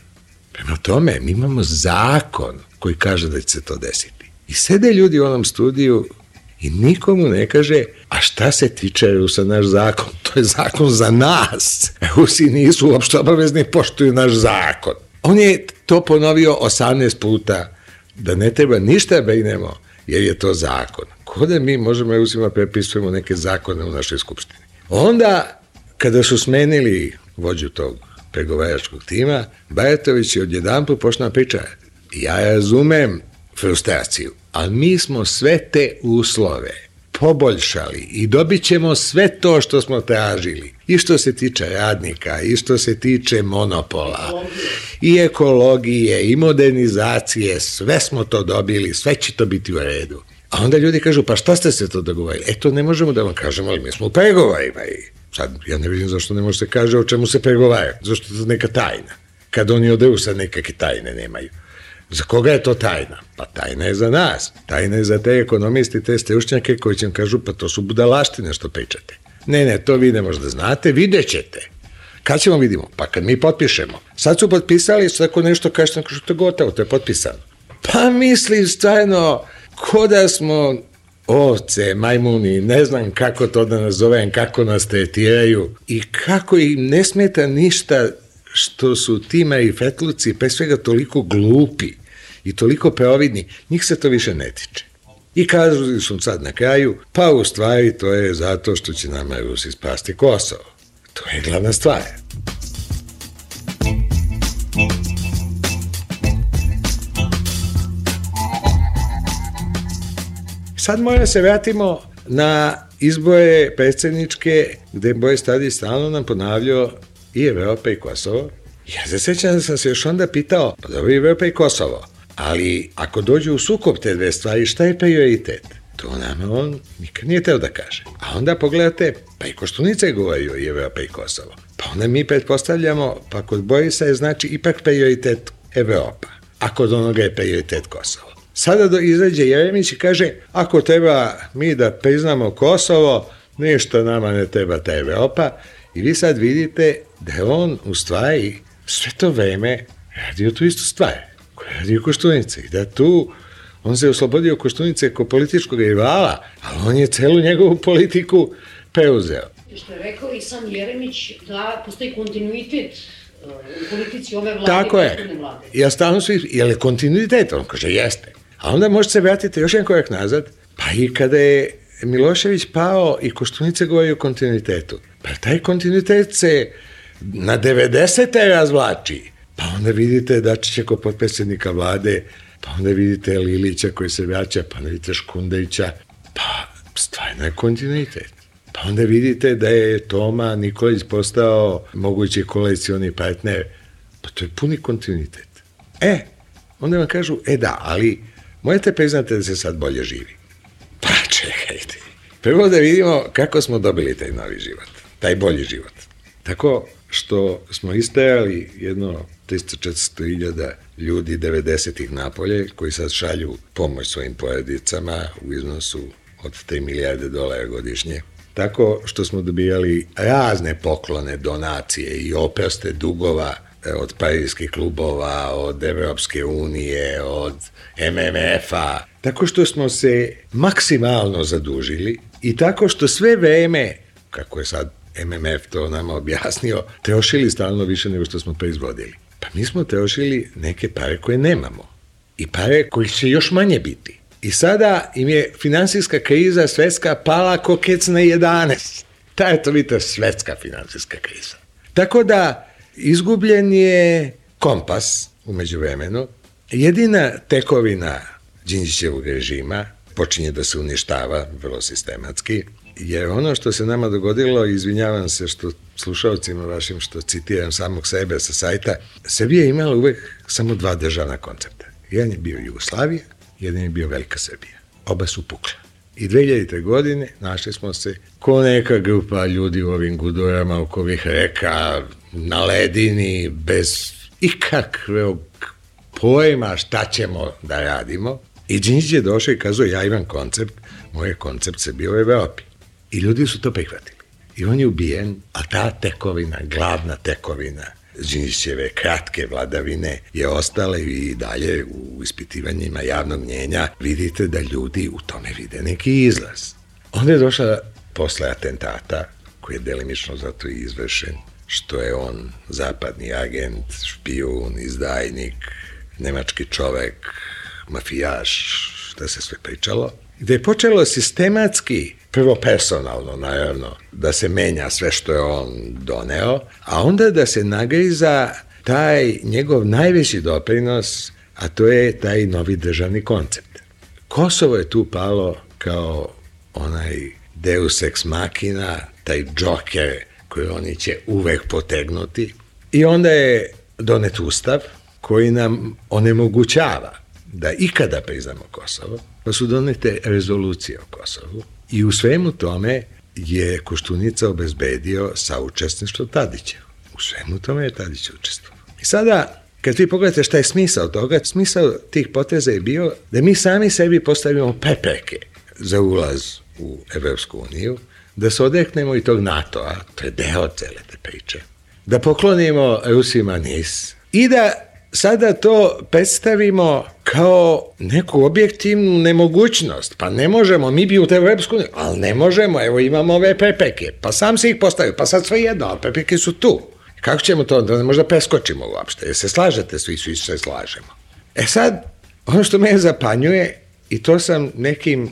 [SPEAKER 14] Prema tome, mi imamo zakon koji kaže da će se to desiti. I sede ljudi u onom studiju i nikomu ne kaže, a šta se tiče Rusa, naš zakon, to je zakon za nas. Rusi nisu uopšte obavezni, poštuju naš zakon. On je to ponovio 18 puta, da ne treba ništa brinemo, jer je to zakon. Ko da mi možemo Rusima prepisujemo neke zakone u našoj skupštini. Onda, kada su smenili vođu tog pregovaračkog tima, Bajatović je odjedanput počeo priča. Ja razumem frustraciju, ali mi smo sve te uslove poboljšali i dobit ćemo sve to što smo tražili. I što se tiče radnika, i što se tiče monopola, i ekologije, i modernizacije, sve smo to dobili, sve će to biti u redu. A onda ljudi kažu, pa šta ste se to dogovorili? To ne možemo da vam kažemo, ali mi smo u pregovorima i sad, ja ne vidim zašto ne može se kaže o čemu se pregovara, zašto je to neka tajna. Kad oni od Rusa nekakve tajne nemaju. Za koga je to tajna? Pa tajna je za nas. Tajna je za te ekonomisti, te stručnjake koji će vam kažu, pa to su budalaštine što pričate. Ne, to vi ne možda znate, vidjet ćete. Kad ćemo vidimo? Pa kad mi potpišemo. Sad su potpisali, svako nešto kažete, to je gotovo, to je potpisano. Pa mislim stvarno, ko da smo ovce, majmuni, ne znam kako to da nazovem, kako nas tretiraju i kako im ne smeta ništa što su ti marifetluci pre svega toliko glupi i toliko preovidni, njih se to više ne tiče. I kažu su sad na kraju, pa u stvari to je zato što će nama Rusi spasti Kosovo. To je glavna stvar. sad moramo se vratimo na izbore predsjedničke, gde Boris Tadić stalno nam ponavljao i Evropa i Kosovo. Ja se sjećam da sam se još onda pitao, pa dobro, Evropa i Kosovo, ali ako dođu u sukob te dve stvari, šta je prioritet? To nama on nikad nije teo da kaže. A onda pogledate, pa i Koštunica je govorio i Evropa i Kosovo. Pa onda mi pretpostavljamo, pa kod Borisa je znači ipak prioritet Evropa, a kod onoga je prioritet Kosovo. Sada izađe Jeremić i kaže, ako treba mi da priznamo Kosovo, ništa nama ne treba ta Evropa. I vi sad vidite da je on u stvari sve to vreme radio tu istu stvar koju je radio Koštunica i da tu on se oslobodio Koštunice kao političkog rivala, ali on je celu njegovu politiku preuzeo.
[SPEAKER 8] Što je rekao i sam Jeremić da postoji kontinuitet u politici ove vlade.
[SPEAKER 14] Tako je. Ja stalno su, je li kontinuitet? On kaže, jeste. A onda možete se vratiti još jedan korak nazad, pa i kada je Milošević pao i Koštunica govori o kontinuitetu. Pa taj kontinuitet se na 90. razvlači. Pa onda vidite Dačića kao potpredsjednika vlade, pa onda vidite Lilića koji se vraća, pa onda vidite Škundevića, pa stvarno je kontinuitet. Pa onda vidite da je Toma Nikolić postao mogući koalicioni partner, pa to je puni kontinuitet. Onda vam kažu, da, ali možete priznati da se sad bolje živi. Pa čekajte. Prvo da vidimo kako smo dobili taj novi život, taj bolji život. Tako što smo istajali jedno 300-400 hiljada ljudi 90-ih napolje koji sad šalju pomoć svojim porodicama u iznosu od 3 milijarde dolara godišnje. Tako što smo dobijali razne poklone, donacije i oproste dugova od parijskih klubova, od Evropske unije, od MMF-a. Tako što smo se maksimalno zadužili i tako što sve vreme, kako je sad MMF to nama objasnio, trošili stalno više nego što smo proizvodili. Pa mi smo trošili neke pare koje nemamo i pare koji će još manje biti. I sada im je finansijska kriza svetska pala ko kec na 11. Ta je to vidite svetska finansijska kriza. Tako da izgubljen je kompas u međuvremenu. Jedina tekovina Đinđićevog režima počinje da se uništava vrlo sistematski, jer ono što se nama dogodilo, izvinjavam se što slušalcima vašim što citiram samog sebe sa sajta, Srbija je imala uvek samo dva državna koncepta. Jedan je bio Jugoslavija, jedan je bio Velika Srbija. Oba su pukla. I 2000. godine našli smo se ko neka grupa ljudi u ovim gudurama oko ovih reka, na ledini, bez ikakvog pojma šta ćemo da radimo. I Đinđić je došao i kazao, ja imam koncept, moj koncept se bio u Evropi. I ljudi su to prihvatili. I on je ubijen, a ta tekovina, glavna tekovina Đinđićeve kratke vladavine je ostala i dalje u ispitivanjima javnog mnjenja. Vidite da ljudi u tome vide neki izlaz. Onda je došla posle atentata, koji je delimično zato i izvršen, što je on zapadni agent, špijun, izdajnik, nemački čovek, mafijaš, šta se sve pričalo, gde je počelo sistematski, prvo personalno, naravno, da se menja sve što je on doneo, a onda da se nagriza taj njegov najveći doprinos, a to je taj novi državni koncept. Kosovo je tu palo kao onaj deus ex machina, taj džoker koji oni će uvek potegnuti. I onda je donet ustav koji nam onemogućava da ikada priznamo Kosovo, pa su donete rezolucije o Kosovu i u svemu tome je Koštunica obezbedio saučesništvo Tadića. U svemu tome je Tadić učestvovao. I sada, kad vi pogledate šta je smisao toga, smisao tih poteza je bio da mi sami sebi postavimo prepreke za ulaz u Evropsku uniju, da se odreknemo i tog NATO-a, to je deo cele te priče, da poklonimo Rusima NIS i da sada to predstavimo kao neku objektivnu nemogućnost. Pa ne možemo, mi bi u Evropsku uniju, ali ne možemo, evo imamo ove prepreke, pa sam se ih postavio, pa sad sve jedno, ali prepreke su tu. Kako ćemo to, da ne možda preskočimo uopšte, jer se slažete, svi se slažemo. Sad, ono što me zapanjuje, i to sam nekim,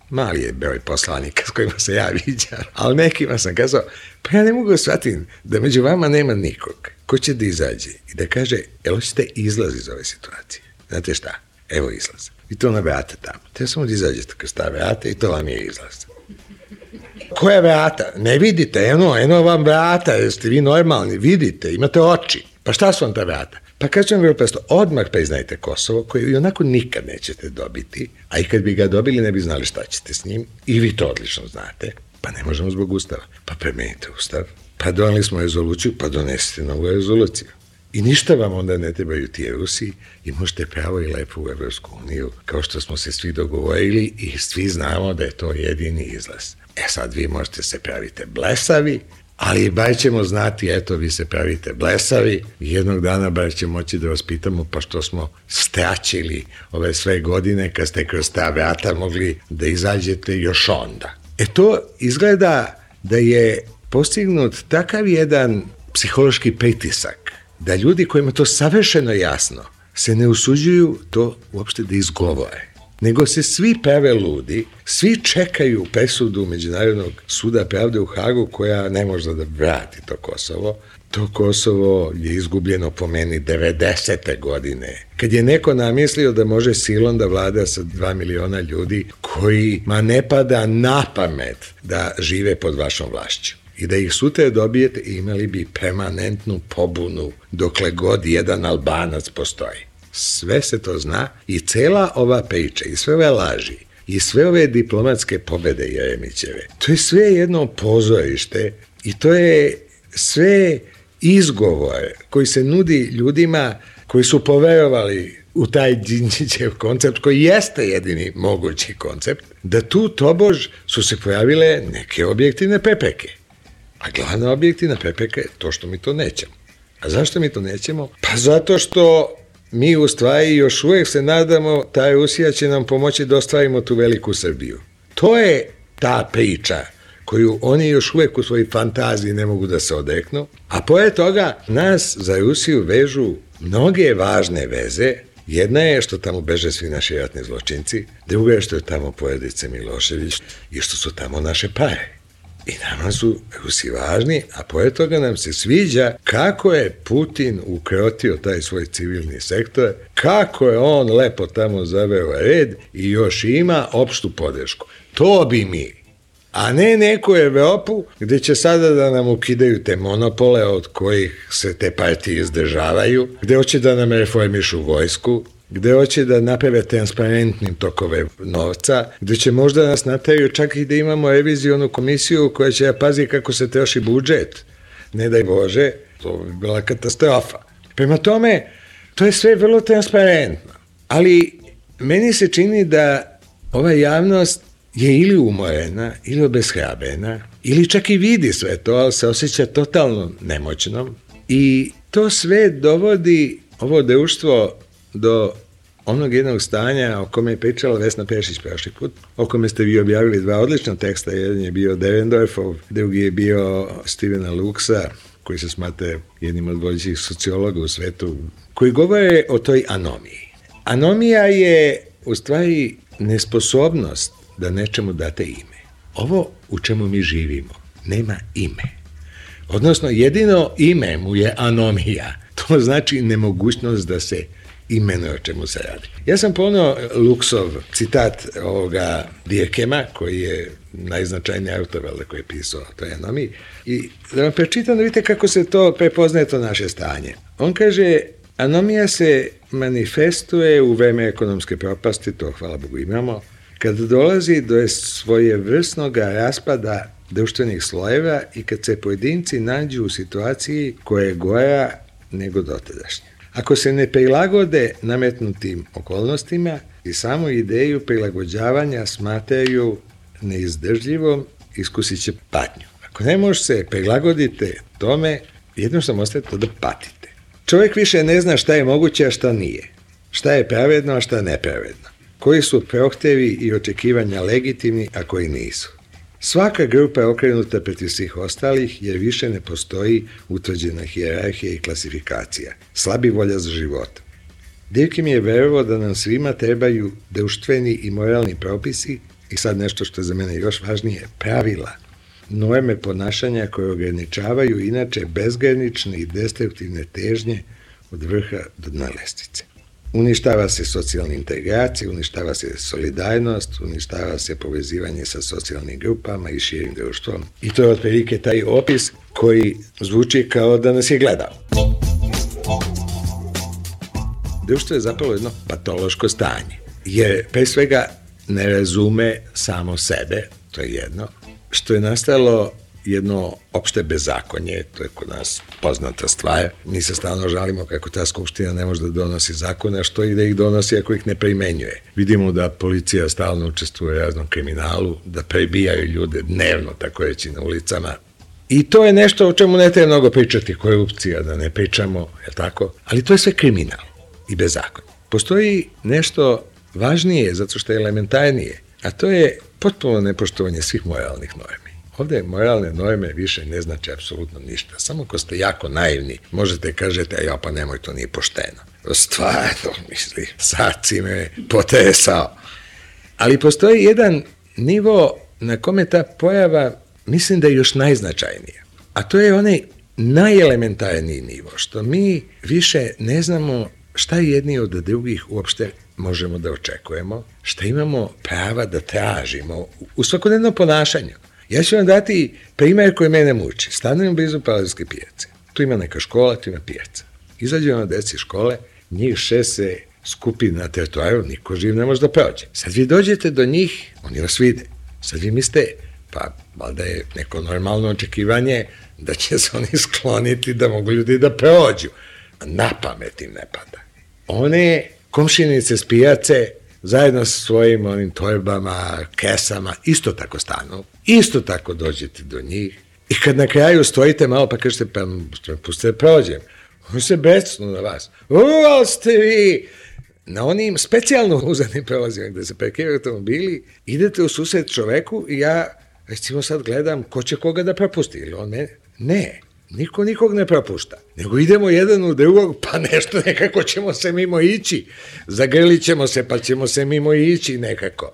[SPEAKER 14] mali je broj poslanika s kojima se ja viđam, ali nekima sam kazao, pa ja ne mogu shvatiti da među vama nema nikog ko će da izađe i da kaže, hoćete izlaz iz ove situacije. Znate šta? Evo izlaz. I to na vrata tamo. Te samo da izađete kroz ta vrata i to vam je izlaz. Koja vrata? Ne vidite, eno vam vrata, jeste vi normalni, vidite, imate oči. Pa šta su vam ta vrata? Pa kažem vam vrlo presto, odmah priznajte Kosovo, koje i onako nikad nećete dobiti, a i kad bi ga dobili ne bi znali šta ćete s njim, i vi to odlično znate, pa ne možemo zbog ustava. Pa promenite ustav, pa doneli smo rezoluciju, pa donesite novu rezoluciju. I ništa vam onda ne trebaju ti Rusi i možete pravo i lepo u Evropsku uniju, kao što smo se svi dogovorili i svi znamo da je to jedini izlaz. Sad vi možete se pravite blesavi, ali bar ćemo znati, eto, vi se pravite blesavi i jednog dana bar ćemo moći da vas pitamo pa što smo straćili ove sve godine kad ste kroz ta vrata mogli da izađete još onda. To izgleda da je postignut takav jedan psihološki pritisak da ljudi kojima to savršeno jasno se ne usuđuju to uopšte da izgovore, nego se svi prave ludi, svi čekaju presudu Međunarodnog suda pravde u Hagu koja ne može da vrati to Kosovo. To Kosovo je izgubljeno po meni 90. godine, kad je neko namislio da može silom da vlada sa 2 miliona ljudi kojima ne pada na pamet da žive pod vašom vlašću. I da ih sutra dobijete, imali bi permanentnu pobunu dokle god jedan Albanac postoji. Sve se to zna i cela ova priča i sve ove laži i sve ove diplomatske pobede Jeremićeve, to je sve jedno pozorište i to je sve izgovor koji se nudi ljudima koji su poverovali u taj Đinđićev koncept, koji jeste jedini mogući koncept, da tu tobož su se pojavile neke objektivne prepreke. A glavna objektivna prepreka je to što mi to nećemo. A zašto mi to nećemo? Pa zato što mi u stvari još uvijek se nadamo ta Rusija će nam pomoći da ostvarimo tu veliku Srbiju. To je ta priča koju oni još uvijek u svojoj fantaziji ne mogu da se odreknu, a pored toga nas za Rusiju vežu mnoge važne veze. Jedna je što tamo beže svi naši ratni zločinci, druga je što je tamo porodica Milošević i što su tamo naše pare. I nama su Rusi važni, a pored toga nam se sviđa kako je Putin ukrotio taj svoj civilni sektor, kako je on lepo tamo zaveo red i još ima opštu podršku. To bi mi, a ne neku Evropu gde će sada da nam ukidaju te monopole od kojih se te partije izdržavaju, gde hoće da nam reformišu vojsku, gde hoće da naprave transparentnim tokove novca, gde će možda nas nateraju čak i da imamo revizionu komisiju koja će da pazi kako se troši budžet. Ne daj Bože, to bi bila katastrofa. Prema tome, to je sve vrlo transparentno. Ali meni se čini da ova javnost je ili umorena, ili obeshrabrena, ili čak i vidi sve to, ali se osjeća totalno nemoćnom. I to sve dovodi ovo društvo do onog jednog stanja o kome je pričala Vesna Pešić prošli put, o kome ste vi objavili 2 odlična teksta, jedan je bio Derendorfov, drugi je bio Stevena Luxa, koji se smatra jednim od vodećih sociologa u svetu, koji govore o toj anomiji. Anomija je u stvari nesposobnost da nečemu date ime. Ovo u čemu mi živimo nema ime. Odnosno, jedino ime mu je anomija. To znači nemogućnost da se imenuje o čemu se radi. Ja sam poneo Luksov citat ovoga Dierkema, koji je najznačajniji autor koji je pisao o toj anomiji, i da vam prečitam da vidite kako se to prepoznaje to naše stanje. On kaže, anomija se manifestuje u vreme ekonomske propasti, to hvala Bogu imamo, kad dolazi do svojevrsnog raspada društvenih slojeva i kad se pojedinci nađu u situaciji koja je gora nego dotadašnja. Ako se ne prilagode nametnutim okolnostima i samo ideju prilagođavanja smatraju neizdržljivom, iskusit će patnju. Ako ne možete se prilagodite tome, jednostavno ostavite to da patite. Čovjek više ne zna šta je moguće, a šta nije. Šta je pravedno, a šta nepravedno. Koji su prohtevi i očekivanja legitimni, a koji nisu. Svaka grupa je okrenuta protiv svih ostalih, jer više ne postoji utvrđena hijerarhija i klasifikacija. Slabi volja za životom. Dierkem je verovao da nam svima trebaju društveni i moralni propisi i sad nešto što je za mene još važnije, pravila. Norme ponašanja koje ograničavaju inače bezgranične i destruktivne težnje od vrha do dna lestvice. uništava se socijalna integracija, uništava se solidarinost, uništava se povezivanje sa socijalnim grupama i širim društvom. I to je otprilike taj opis koji zvuči kao da nas je gledao. Društvo je zapravo jedno patološko stanje, jer pre svega ne razume samo sebe, to je jedno, što je nastalo jedno opšte bezakonje, to je kod nas poznata stvar. Mi se stalno žalimo kako ta skupština ne može da donosi zakone, a što i da ih donosi ako ih ne primenjuje. Vidimo da policija stalno učestvuje u raznom kriminalu, da prebijaju ljude dnevno, tako reći, na ulicama. I to je nešto o čemu ne treba mnogo pričati, korupcija, da ne pričamo, je tako? Ali to je sve kriminal i bezakonje. Postoji nešto važnije, zato što je elementarnije, a to je potpuno nepoštovanje svih moralnih normi. Ovde moralne norme više ne znači apsolutno ništa. Samo ko ste jako naivni, možete kažete, ja pa nemoj, to nije pošteno. Stvarno, misli, sad si me potresao. Ali postoji jedan nivo na kome ta pojava, mislim da je još najznačajnija. A to je onaj najelementarniji nivo, što mi više ne znamo šta jedni od drugih uopšte možemo da očekujemo, šta imamo prava da tražimo u svakodnevnom ponašanju. Ja ću vam dati primjer koji mene muči. Stanujem blizu Palazovske pijace. Tu ima neka škola, tu ima pijaca. Izađu na deci škole, njih 6 se skupi na trotoaru, niko živ ne može da prođe. Sad vi dođete do njih, oni vas vide. Sad vi mislite, pa valjda je neko normalno očekivanje da će se oni skloniti da mogu ljudi da prođu. Na pamet im ne pada. One komšinice s pijace zajedno sa svojim onim torbama, kesama, isto tako stanu, isto tako dođete do njih i kad na kraju stojite malo pa kažete, pa pustite da prođem, oni se becnu na vas. Ali ste vi! Na onim specijalno uzanim prolazima gde se parkiraju automobili, idete u susret čoveku i ja, recimo sad gledam ko će koga da propusti, ili on mene? Ne. Niko nikog ne propušta, nego idemo jedan u drugog, pa nešto nekako ćemo se mimo ići. Zagrlit ćemo se, pa ćemo se mimo ići nekako.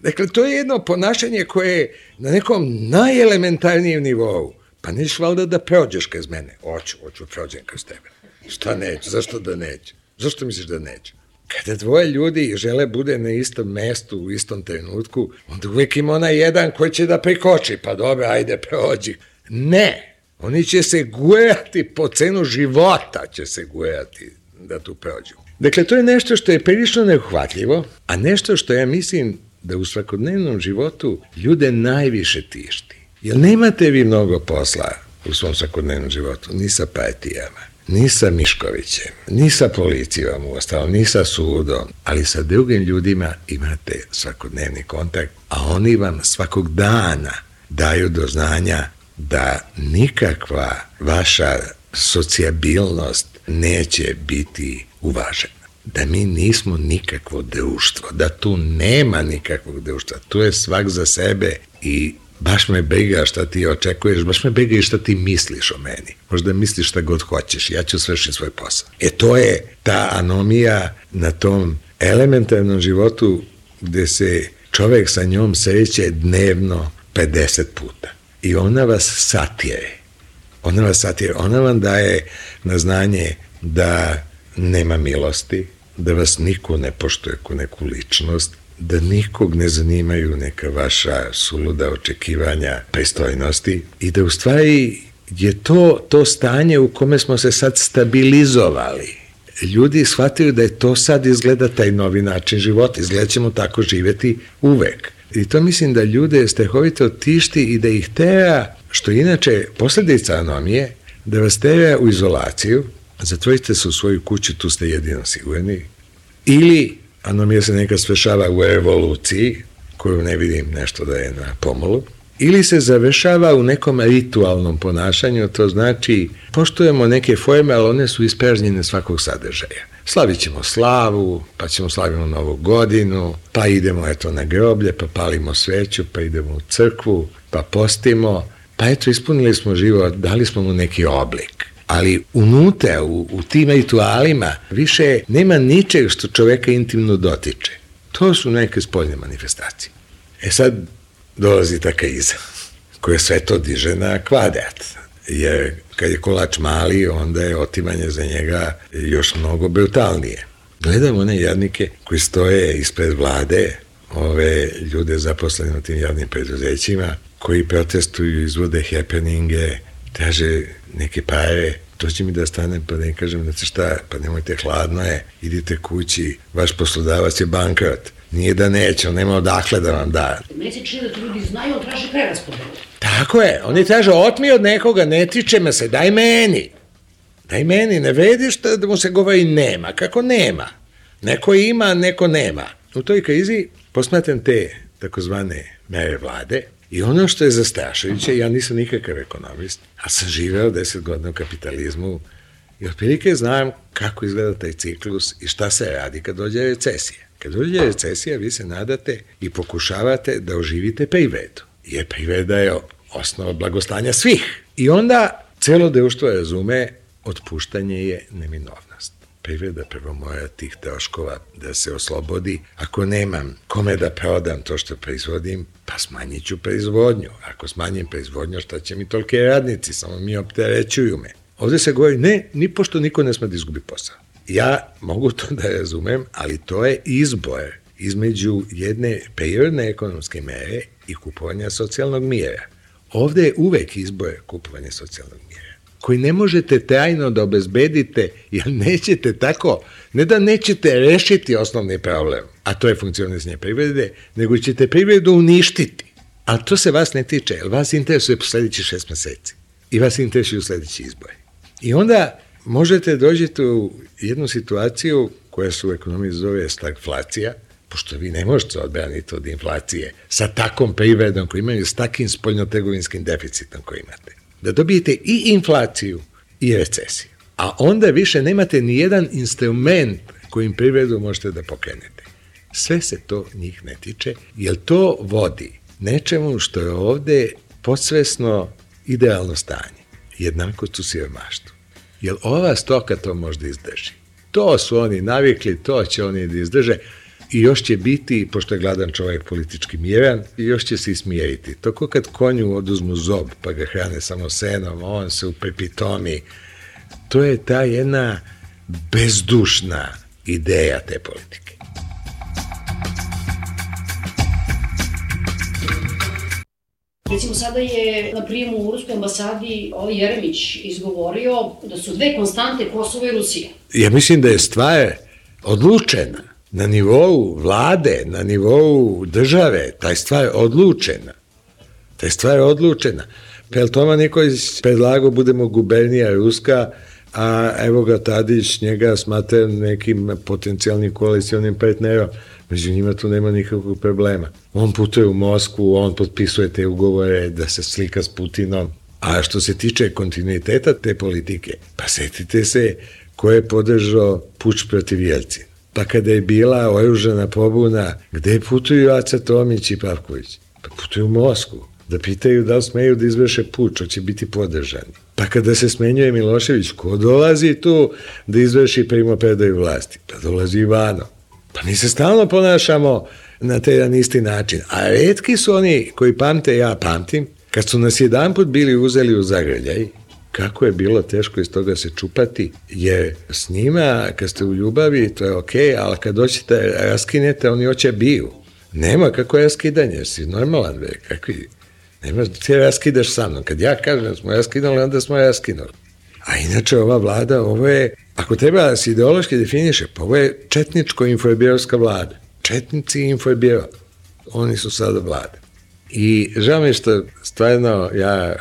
[SPEAKER 14] Dakle, to je jedno ponašanje koje je na nekom najelementarnijem nivou. Pa nećeš valjda da prođeš kroz mene? Hoću prođem kroz tebe. Šta neću? Zašto da neću? Zašto misliš da neću? Kada dvoje ljudi žele bude na istom mestu u istom trenutku, onda uvijek ima onaj jedan koji će da prikoči, pa dobro, ajde, prođi. Ne! Oni će se gujati po cenu života, će se gujati da tu prođu. Dakle, to je nešto što je prilično neuhvatljivo, a nešto što ja mislim da u svakodnevnom životu ljude najviše tišti. Jer nemate vi mnogo posla u svom svakodnevnom životu, ni sa partijama, ni sa Miškovićem, ni sa policijom uostalom, ni sa sudom, ali sa drugim ljudima imate svakodnevni kontakt, a oni vam svakog dana daju do znanja da nikakva vaša socijabilnost neće biti uvažena. Da mi nismo nikakvo društvo, da tu nema nikakvog društva. Tu je svak za sebe i baš me briga šta ti očekuješ, baš me briga i šta ti misliš o meni. Možda misliš šta god hoćeš, ja ću svršiti svoj posao. To je ta anomija na tom elementarnom životu gde se čovek sa njom sreće dnevno 50 puta. I ona vas satire. Ona vam daje na znanje da nema milosti, da vas niko ne poštuje kao neku ličnost, da nikog ne zanimaju neka vaša suluda očekivanja pristojnosti i da u stvari je to stanje u kome smo se sad stabilizovali. Ljudi shvataju da je to sad izgleda taj novi način života, izgleda ćemo tako živeti uvek. I to mislim da ljude strahovito tišti i da ih tera, što inače posljedica anomije, da vas tera u izolaciju, zatvorite se u svoju kuću, tu ste jedino sigurni, ili anomija se nekad svešava u evoluciji, koju ne vidim nešto da je na pomolu, ili se završava u nekom ritualnom ponašanju, to znači poštujemo neke forme, ali one su ispražnjene svakog sadržaja. Slavit ćemo slavu, pa ćemo slavimo Novu godinu, pa idemo na groblje, pa palimo sveću, pa idemo u crkvu, pa postimo, pa ispunili smo život, dali smo mu neki oblik. Ali unutra, u tim ritualima, više nema ničeg što čoveka intimno dotiče. To su neke spoljne manifestacije. Sad dolazi ta kriza, koja sve to diže na kvadrat. Jer kad je kolač mali, onda je otimanje za njega još mnogo brutalnije. Gledam one jadnike koji stoje ispred vlade, ove ljude zaposlene u tim javnim preduzećima, koji protestuju, izvode happeninge, traže neke pare. To će mi da stanem pa da im kažem, znate šta, pa nemojte, hladno je, idite kući, vaš poslodavac je bankrot. Nije da neće, on nema odakle da vam da.
[SPEAKER 8] Meni se čini da to ljudi znaju, on traži preraspodelu.
[SPEAKER 14] Tako je, oni traže, otmi od nekoga, ne tiče me se, daj meni. Daj meni, ne vediš da mu se govori nema, kako nema. Neko ima, neko nema. U toj krizi posmatram te takozvane mere vlade i ono što je zastrašujuće, ja nisam nikakav ekonomist, a sam živeo 10 godina u kapitalizmu i otprilike znam kako izgleda taj ciklus i šta se radi kad dođe recesija. Kad dođe recesija, vi se nadate i pokušavate da oživite privredu, jer privreda je osnova blagostanja svih. I onda celo društvo razume, otpuštanje je neminovnost. Privreda prvo mora tih troškova da se oslobodi. Ako nemam kome da prodam to što proizvodim, pa smanjit ću proizvodnju. Ako smanjim proizvodnju, šta će mi tolike radnici, samo mi opterećuju me. Ovde se govori, ne, ni pošto niko ne sme da izgubi posao. Ja mogu to da razumem, ali to je izbor između jedne prirodne ekonomske mere i kupovanja socijalnog mira. Ovde je uvek izbor kupovanja socijalnog mira, koji ne možete trajno da obezbedite, jer nećete tako, ne da nećete rešiti osnovni problem, a to je funkcionisanje privrede, nego ćete privredu uništiti. A to se vas ne tiče, jer vas interesuje po sledeći 6 meseci i vas interesuju sledeći izbori. I onda možete dođete u jednu situaciju koja se u ekonomiji zove stagflacija, pošto vi ne možete odbraniti od inflacije sa takvom privredom koju imaju, s takim spoljnotrgovinskim deficitom koji imate. Da dobijete i inflaciju i recesiju. A onda više nemate ni jedan instrument kojim privredu možete da pokrenete. Sve se to njih ne tiče, jer to vodi nečemu što je ovde podsvesno idealno stanje. Jednakost u siromaštvu. Jer ova stoka to možda izdrži. To su oni navikli, to će oni da izdrže i još će biti, pošto je gladan čovjek politički miran, i još će se ismjeriti. To ko kad konju oduzmu zob pa ga hrane samo senom, on se upepitomi. To je ta jedna bezdušna ideja te politike.
[SPEAKER 8] Recimo, sada je na prijemu u Ruskoj ambasadi Jeremić izgovorio da su dve konstante Kosovo i Rusija. Ja
[SPEAKER 14] mislim da je stvar odlučena na nivou vlade, na nivou države, taj stvar odlučena. Taj stvar je odlučena. Pel Toma Nikolić predlagao budemo gubernija Ruska, a evo ga Tadić njega smatra nekim potencijalnim koalicionim partnerom. Među njima tu nema nikakvog problema. On putuje u Moskvu, on potpisuje te ugovore da se slika s Putinom. A što se tiče kontinuiteta te politike, pa setite se ko je podržao puč protiv Jelcina. Pa kada je bila oružana pobuna, gde putuju Aca Tomić i Pavković? Pa putuju u Moskvu, da pitaju da li smeju da izvrše puč, hoće biti podržani. Pa kada se smenjuje Milošević, ko dolazi tu da izvrši primopredaju vlasti? Pa dolazi Ivanov. Pa mi se stalno ponašamo na taj jedan isti način. A retki su oni koji pamte, ja pamtim, kad su nas jedanput bili uzeli u zagrljaj, kako je bilo teško iz toga se čupati, jer s njima, kad ste u ljubavi, to je okej, ali kad doćete raskinete, oni hoće biju. Nema kako je raskidanje, si normalan, be, kakvi, nema, ti raskidaš sa mnom. Kad ja kažem da smo raskinuli, onda smo raskinuli. A inače ova vlada, ovo je, ako treba da se ideološki definiše, pa ovo je četničko-infobirovska vlada. Četnici i infobiro. Oni su sada vlada. I žao mi je što stvarno ja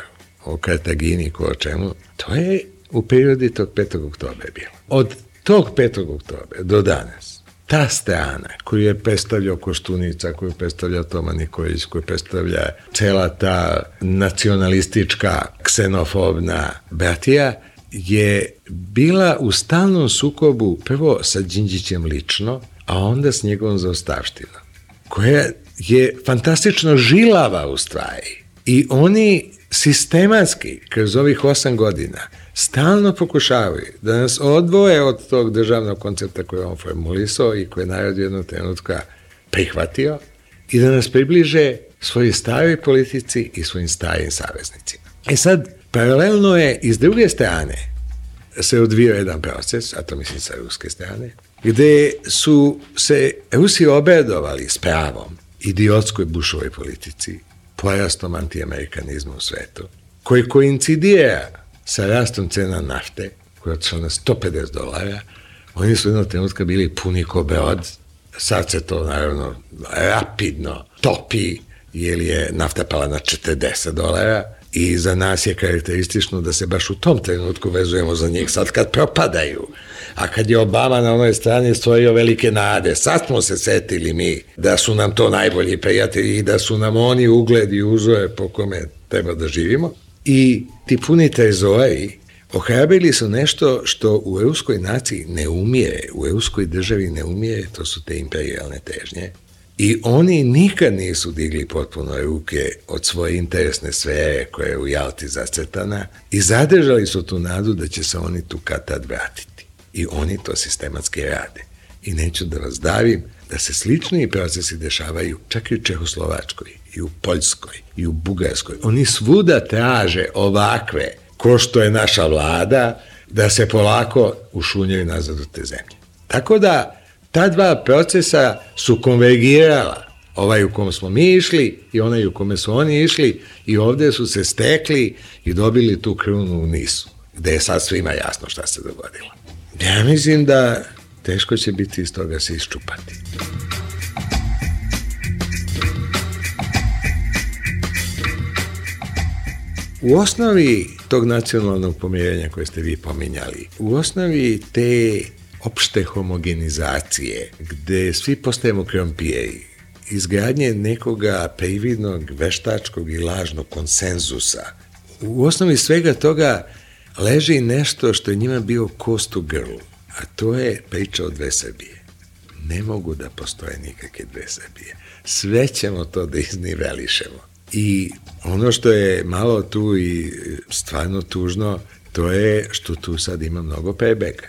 [SPEAKER 14] o Kartagini, ko o čemu, to je u prirodi tog 5. oktobra bilo. Od tog 5. oktobra do danas, ta strana koju je predstavljao Koštunica, koju je predstavljao Toma Nikolić, koju predstavlja cela ta nacionalistička, ksenofobna bratija, je bila u stalnom sukobu prvo sa Đinđićem lično, a onda s njegovom zaostavštinom, koja je fantastično žilava u stvari. I oni sistematski, kroz ovih 8 godina, stalno pokušavaju da nas odvoje od tog državnog koncepta koje je on formulisao i koje je narod jednog trenutka prihvatio i da nas približe svojoj staroj politici i svojim starim saveznicima. E sad, Paralelno je i s druge strane se odvio jedan proces, a to mislim sa ruske strane, gde su se Rusi obradovali s pravom idiotskoj Bushovoj politici, porastom antiamerikanizma u svetu, koji koincidira sa rastom cena nafte, koja je otišla na $150, oni su jednog trenutka bili puni ko brod, sad se to naravno rapidno topi, jer je nafta pala na $40 i za nas je karakteristično da se baš u tom trenutku vezujemo za njih, sad kad propadaju. A kad je Obama na onoj strani stvorio velike nade, sad smo se setili mi da su nam to najbolji prijatelji i da su nam oni ugled i uzore po kome treba da živimo. I ti puni trezori ohrabrili su nešto što u ruskoj naciji ne umire, u ruskoj državi ne umire, to su te imperijalne težnje. I oni nikad nisu digli potpuno ruke od svoje interesne sfere koja je u Jalti zacrtana i zadržali su tu nadu da će se oni tu kad tad vratiti. I oni to sistematski rade. I neću da vas davim da se slični procesi dešavaju čak i u Čehoslovačkoj, i u Poljskoj, i u Bugarskoj. Oni svuda traže ovakve, ko što je naša vlada, da se polako ušunjaju nazad u te zemlje. Tako da ta dva procesa su konvergirala, ovaj u kom smo mi išli i onaj u kome su oni išli i ovde su se stekli i dobili tu krunu u Nisu, gde je sad svima jasno šta se dogodilo. Ja mislim da teško će biti iz toga se iščupati. U osnovi tog nacionalnog pomirenja koje ste vi pominjali, u osnovi te opšte homogenizacije, gde svi postajemo krompijeri, izgradnje nekoga prividnog, veštačkog i lažnog konsenzusa, u osnovi svega toga leži nešto što je njima bio kost u grlu, a to je priča o dve Srbije. Ne mogu da postoje nikakve dve Srbije. Sve ćemo to da iznivelišemo. I ono što je malo tu i stvarno tužno, to je što tu sad ima mnogo prebega.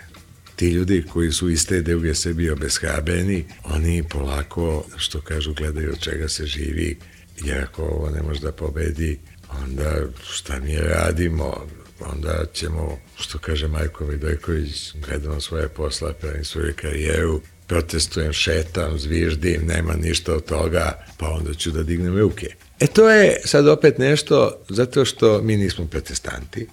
[SPEAKER 14] Ti ljudi koji su iz te druge Srbije obeshrabreni, oni polako, što kažu, gledaju od čega se živi, jer ako ovo ne može da pobedi, onda šta mi radimo, onda ćemo, što kaže Marko Vidojković, gledamo svoje posla, pravim svoju karijeru, protestujem, šetam, zviždim, nema ništa od toga, pa onda ću da dignem ruke. To je sad opet nešto zato što mi nismo protestanti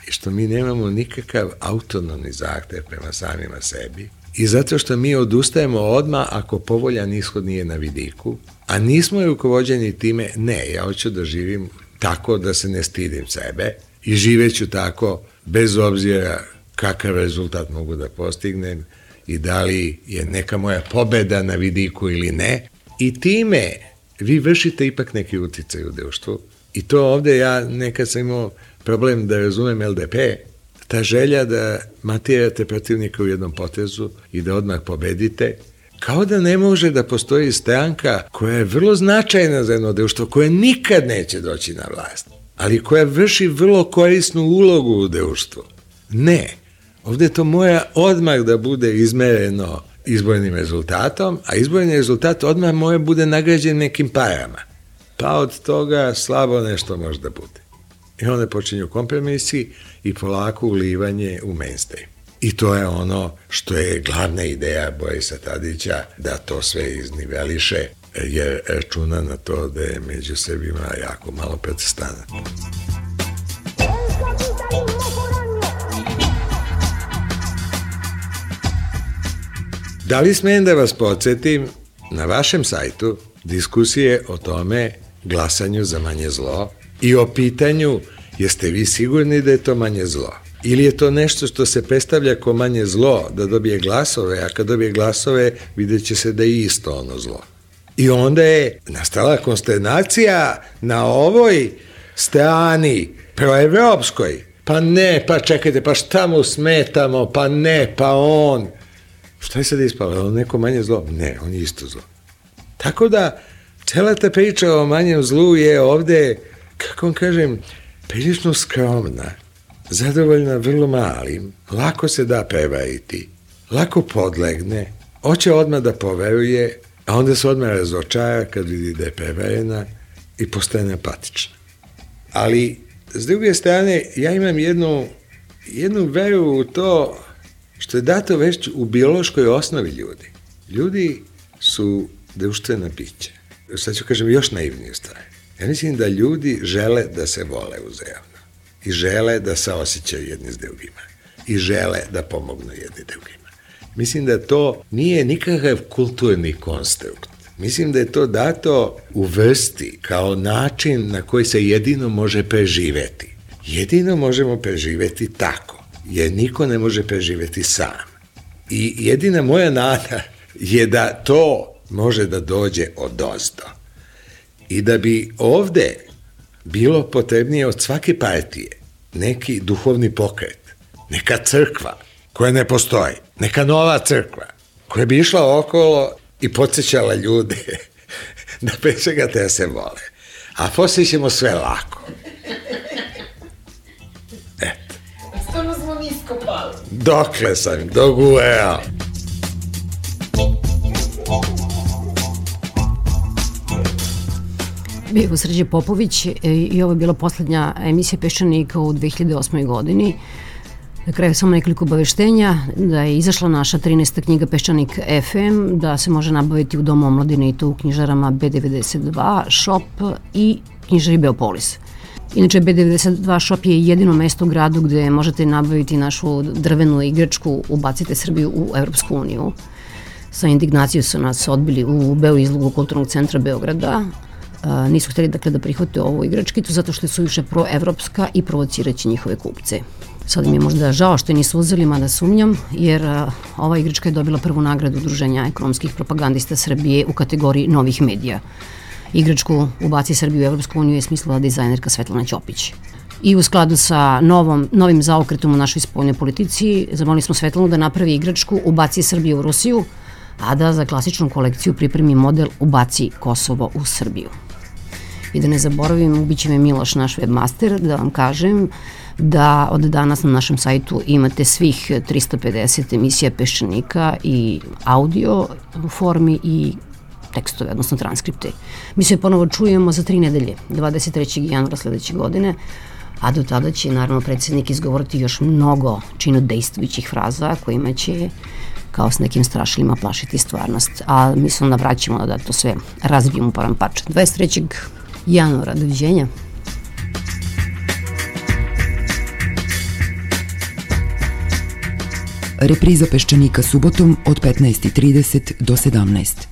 [SPEAKER 14] i što mi nemamo nikakav autonomni zahtev prema samima sebi i zato što mi odustajemo odmah ako povoljan ishod nije na vidiku, a nismo rukovođeni time, ne, ja hoću da živim tako da se ne stidim sebe i živeću tako bez obzira kakav rezultat mogu da postignem i da li je neka moja pobeda na vidiku ili ne. I time vi vršite ipak neki uticaj u društvu. I to ovde ja nekad sam imao problem da razumem LDP, ta želja da matirate protivnika u jednom potezu i da odmah pobedite, kao da ne može da postoji stranka koja je vrlo značajna za jedno društvo, koja nikad neće doći na vlast, ali koja vrši vrlo korisnu ulogu u društvu. Ne, ovde to mora odmah da bude izmereno izbornim rezultatom, a izborni rezultat odmah mora bude nagrađen nekim parama. Pa od toga slabo nešto može da bude. I onda počinju kompromisi i polako ulivanje u mainstream. I to je ono što je glavna ideja Borisa Tadića, da to sve izniveliše, jer računa na to da je među Srbima jako malo protestanata. Da li smijem da vas podsjetim, na vašem sajtu diskusije o tome glasanju za manje zlo i o pitanju jeste vi sigurni da je to manje zlo? Ili je to nešto što se predstavlja kao manje zlo, da dobije glasove, a kad dobije glasove vidjet će se da je isto ono zlo. I onda je nastala konsternacija na ovoj strani proevropskoj. Pa ne, pa čekajte, pa šta mu smetamo, pa ne, pa on. Šta je sad ispalo? Je on neko manje zlo? Ne, on je isto zlo. Tako da, cela ta priča o manjem zlu je ovde, kako vam kažem, prilično skromna, zadovoljna vrlo malim, lako se da prevariti, lako podlegne, hoće odmah da poveruje, a onda se odmah razočara kad vidi da je prevarena i postane apatična. Ali S druge strane, ja imam jednu veru u to što je dato već u biološkoj osnovi ljudi. Ljudi su društvena bića. Sad ću kažem još naivniju stvar. Ja mislim da ljudi žele da se vole uzajamno i žele da se osjećaju jedni s drugima i žele da pomognu jedni drugima. Mislim da to nije nikakav kulturni konstrukt. Mislim da je to dato u vrsti kao način na koji se jedino može preživeti. Jedino možemo preživeti tako, jer niko ne može preživeti sam. I jedina moja nada je da to može da dođe odozdo. I da bi ovde bilo potrebnije od svake partije neki duhovni pokret, neka crkva koja ne postoji, neka nova crkva koja bi išla okolo i podsjećala ljude da pre svega te se vole. A poslije ćemo sve lako. Eto.
[SPEAKER 15] Stvarno smo nisko pali.
[SPEAKER 14] Dokle sam, dogueo.
[SPEAKER 8] Bio Srđe Popović i ovo je bila poslednja emisija Peščanika u 2008. godini. Na kraju samo nekoliko obaveštenja da je izašla naša 13. knjiga Peščanik FM, da se može nabaviti u Domu omladine i to u knjižarama B92 Shop i knjižari Beopolis. Inače, B92 Shop je jedino mesto u gradu gde možete nabaviti našu drvenu igračku Ubacite Srbiju u Evropsku uniju. Sa indignacijom su nas odbili u Beoizlogu Kulturnog centra Beograda. Nisu hteli dakle da prihvate ovu igračkicu zato što je suviše proevropska i provociraće njihove kupce. Sad mi je možda žao što je nisu uzeli, mada sumnjam, jer ova igračka je dobila prvu nagradu Udruženja ekonomskih propagandista Srbije u kategoriji novih medija. Igračku Ubaci Srbiju u Evropsku uniju je smislila dizajnerka Svetlana Ćopić. I u skladu sa novim zaokretom u našoj spoljnoj politici, zamolili smo Svetlanu da napravi igračku Ubaci Srbiju u Rusiju, a da za klasičnu kolekciju pripremi model Ubaci Kosovo u Srbiju. I da ne zaboravim, ubiće me Miloš, naš webmaster, da vam kažem da od danas na našem sajtu imate svih 350 emisija Peščanika i audio u formi i tekstove, odnosno transkripte. Mi se ponovo čujemo za 3 nedelje, 23. januara sledeće godine, a do tada će naravno predsjednik izgovoriti još mnogo činodejstvujućih fraza kojima će kao s nekim strašilima plašiti stvarnost. A mi se onda vraćamo da to sve razbijemo param pač. 23. januara, doviđenja.
[SPEAKER 16] Repriza Peščanika subotom od 15:30 do 17.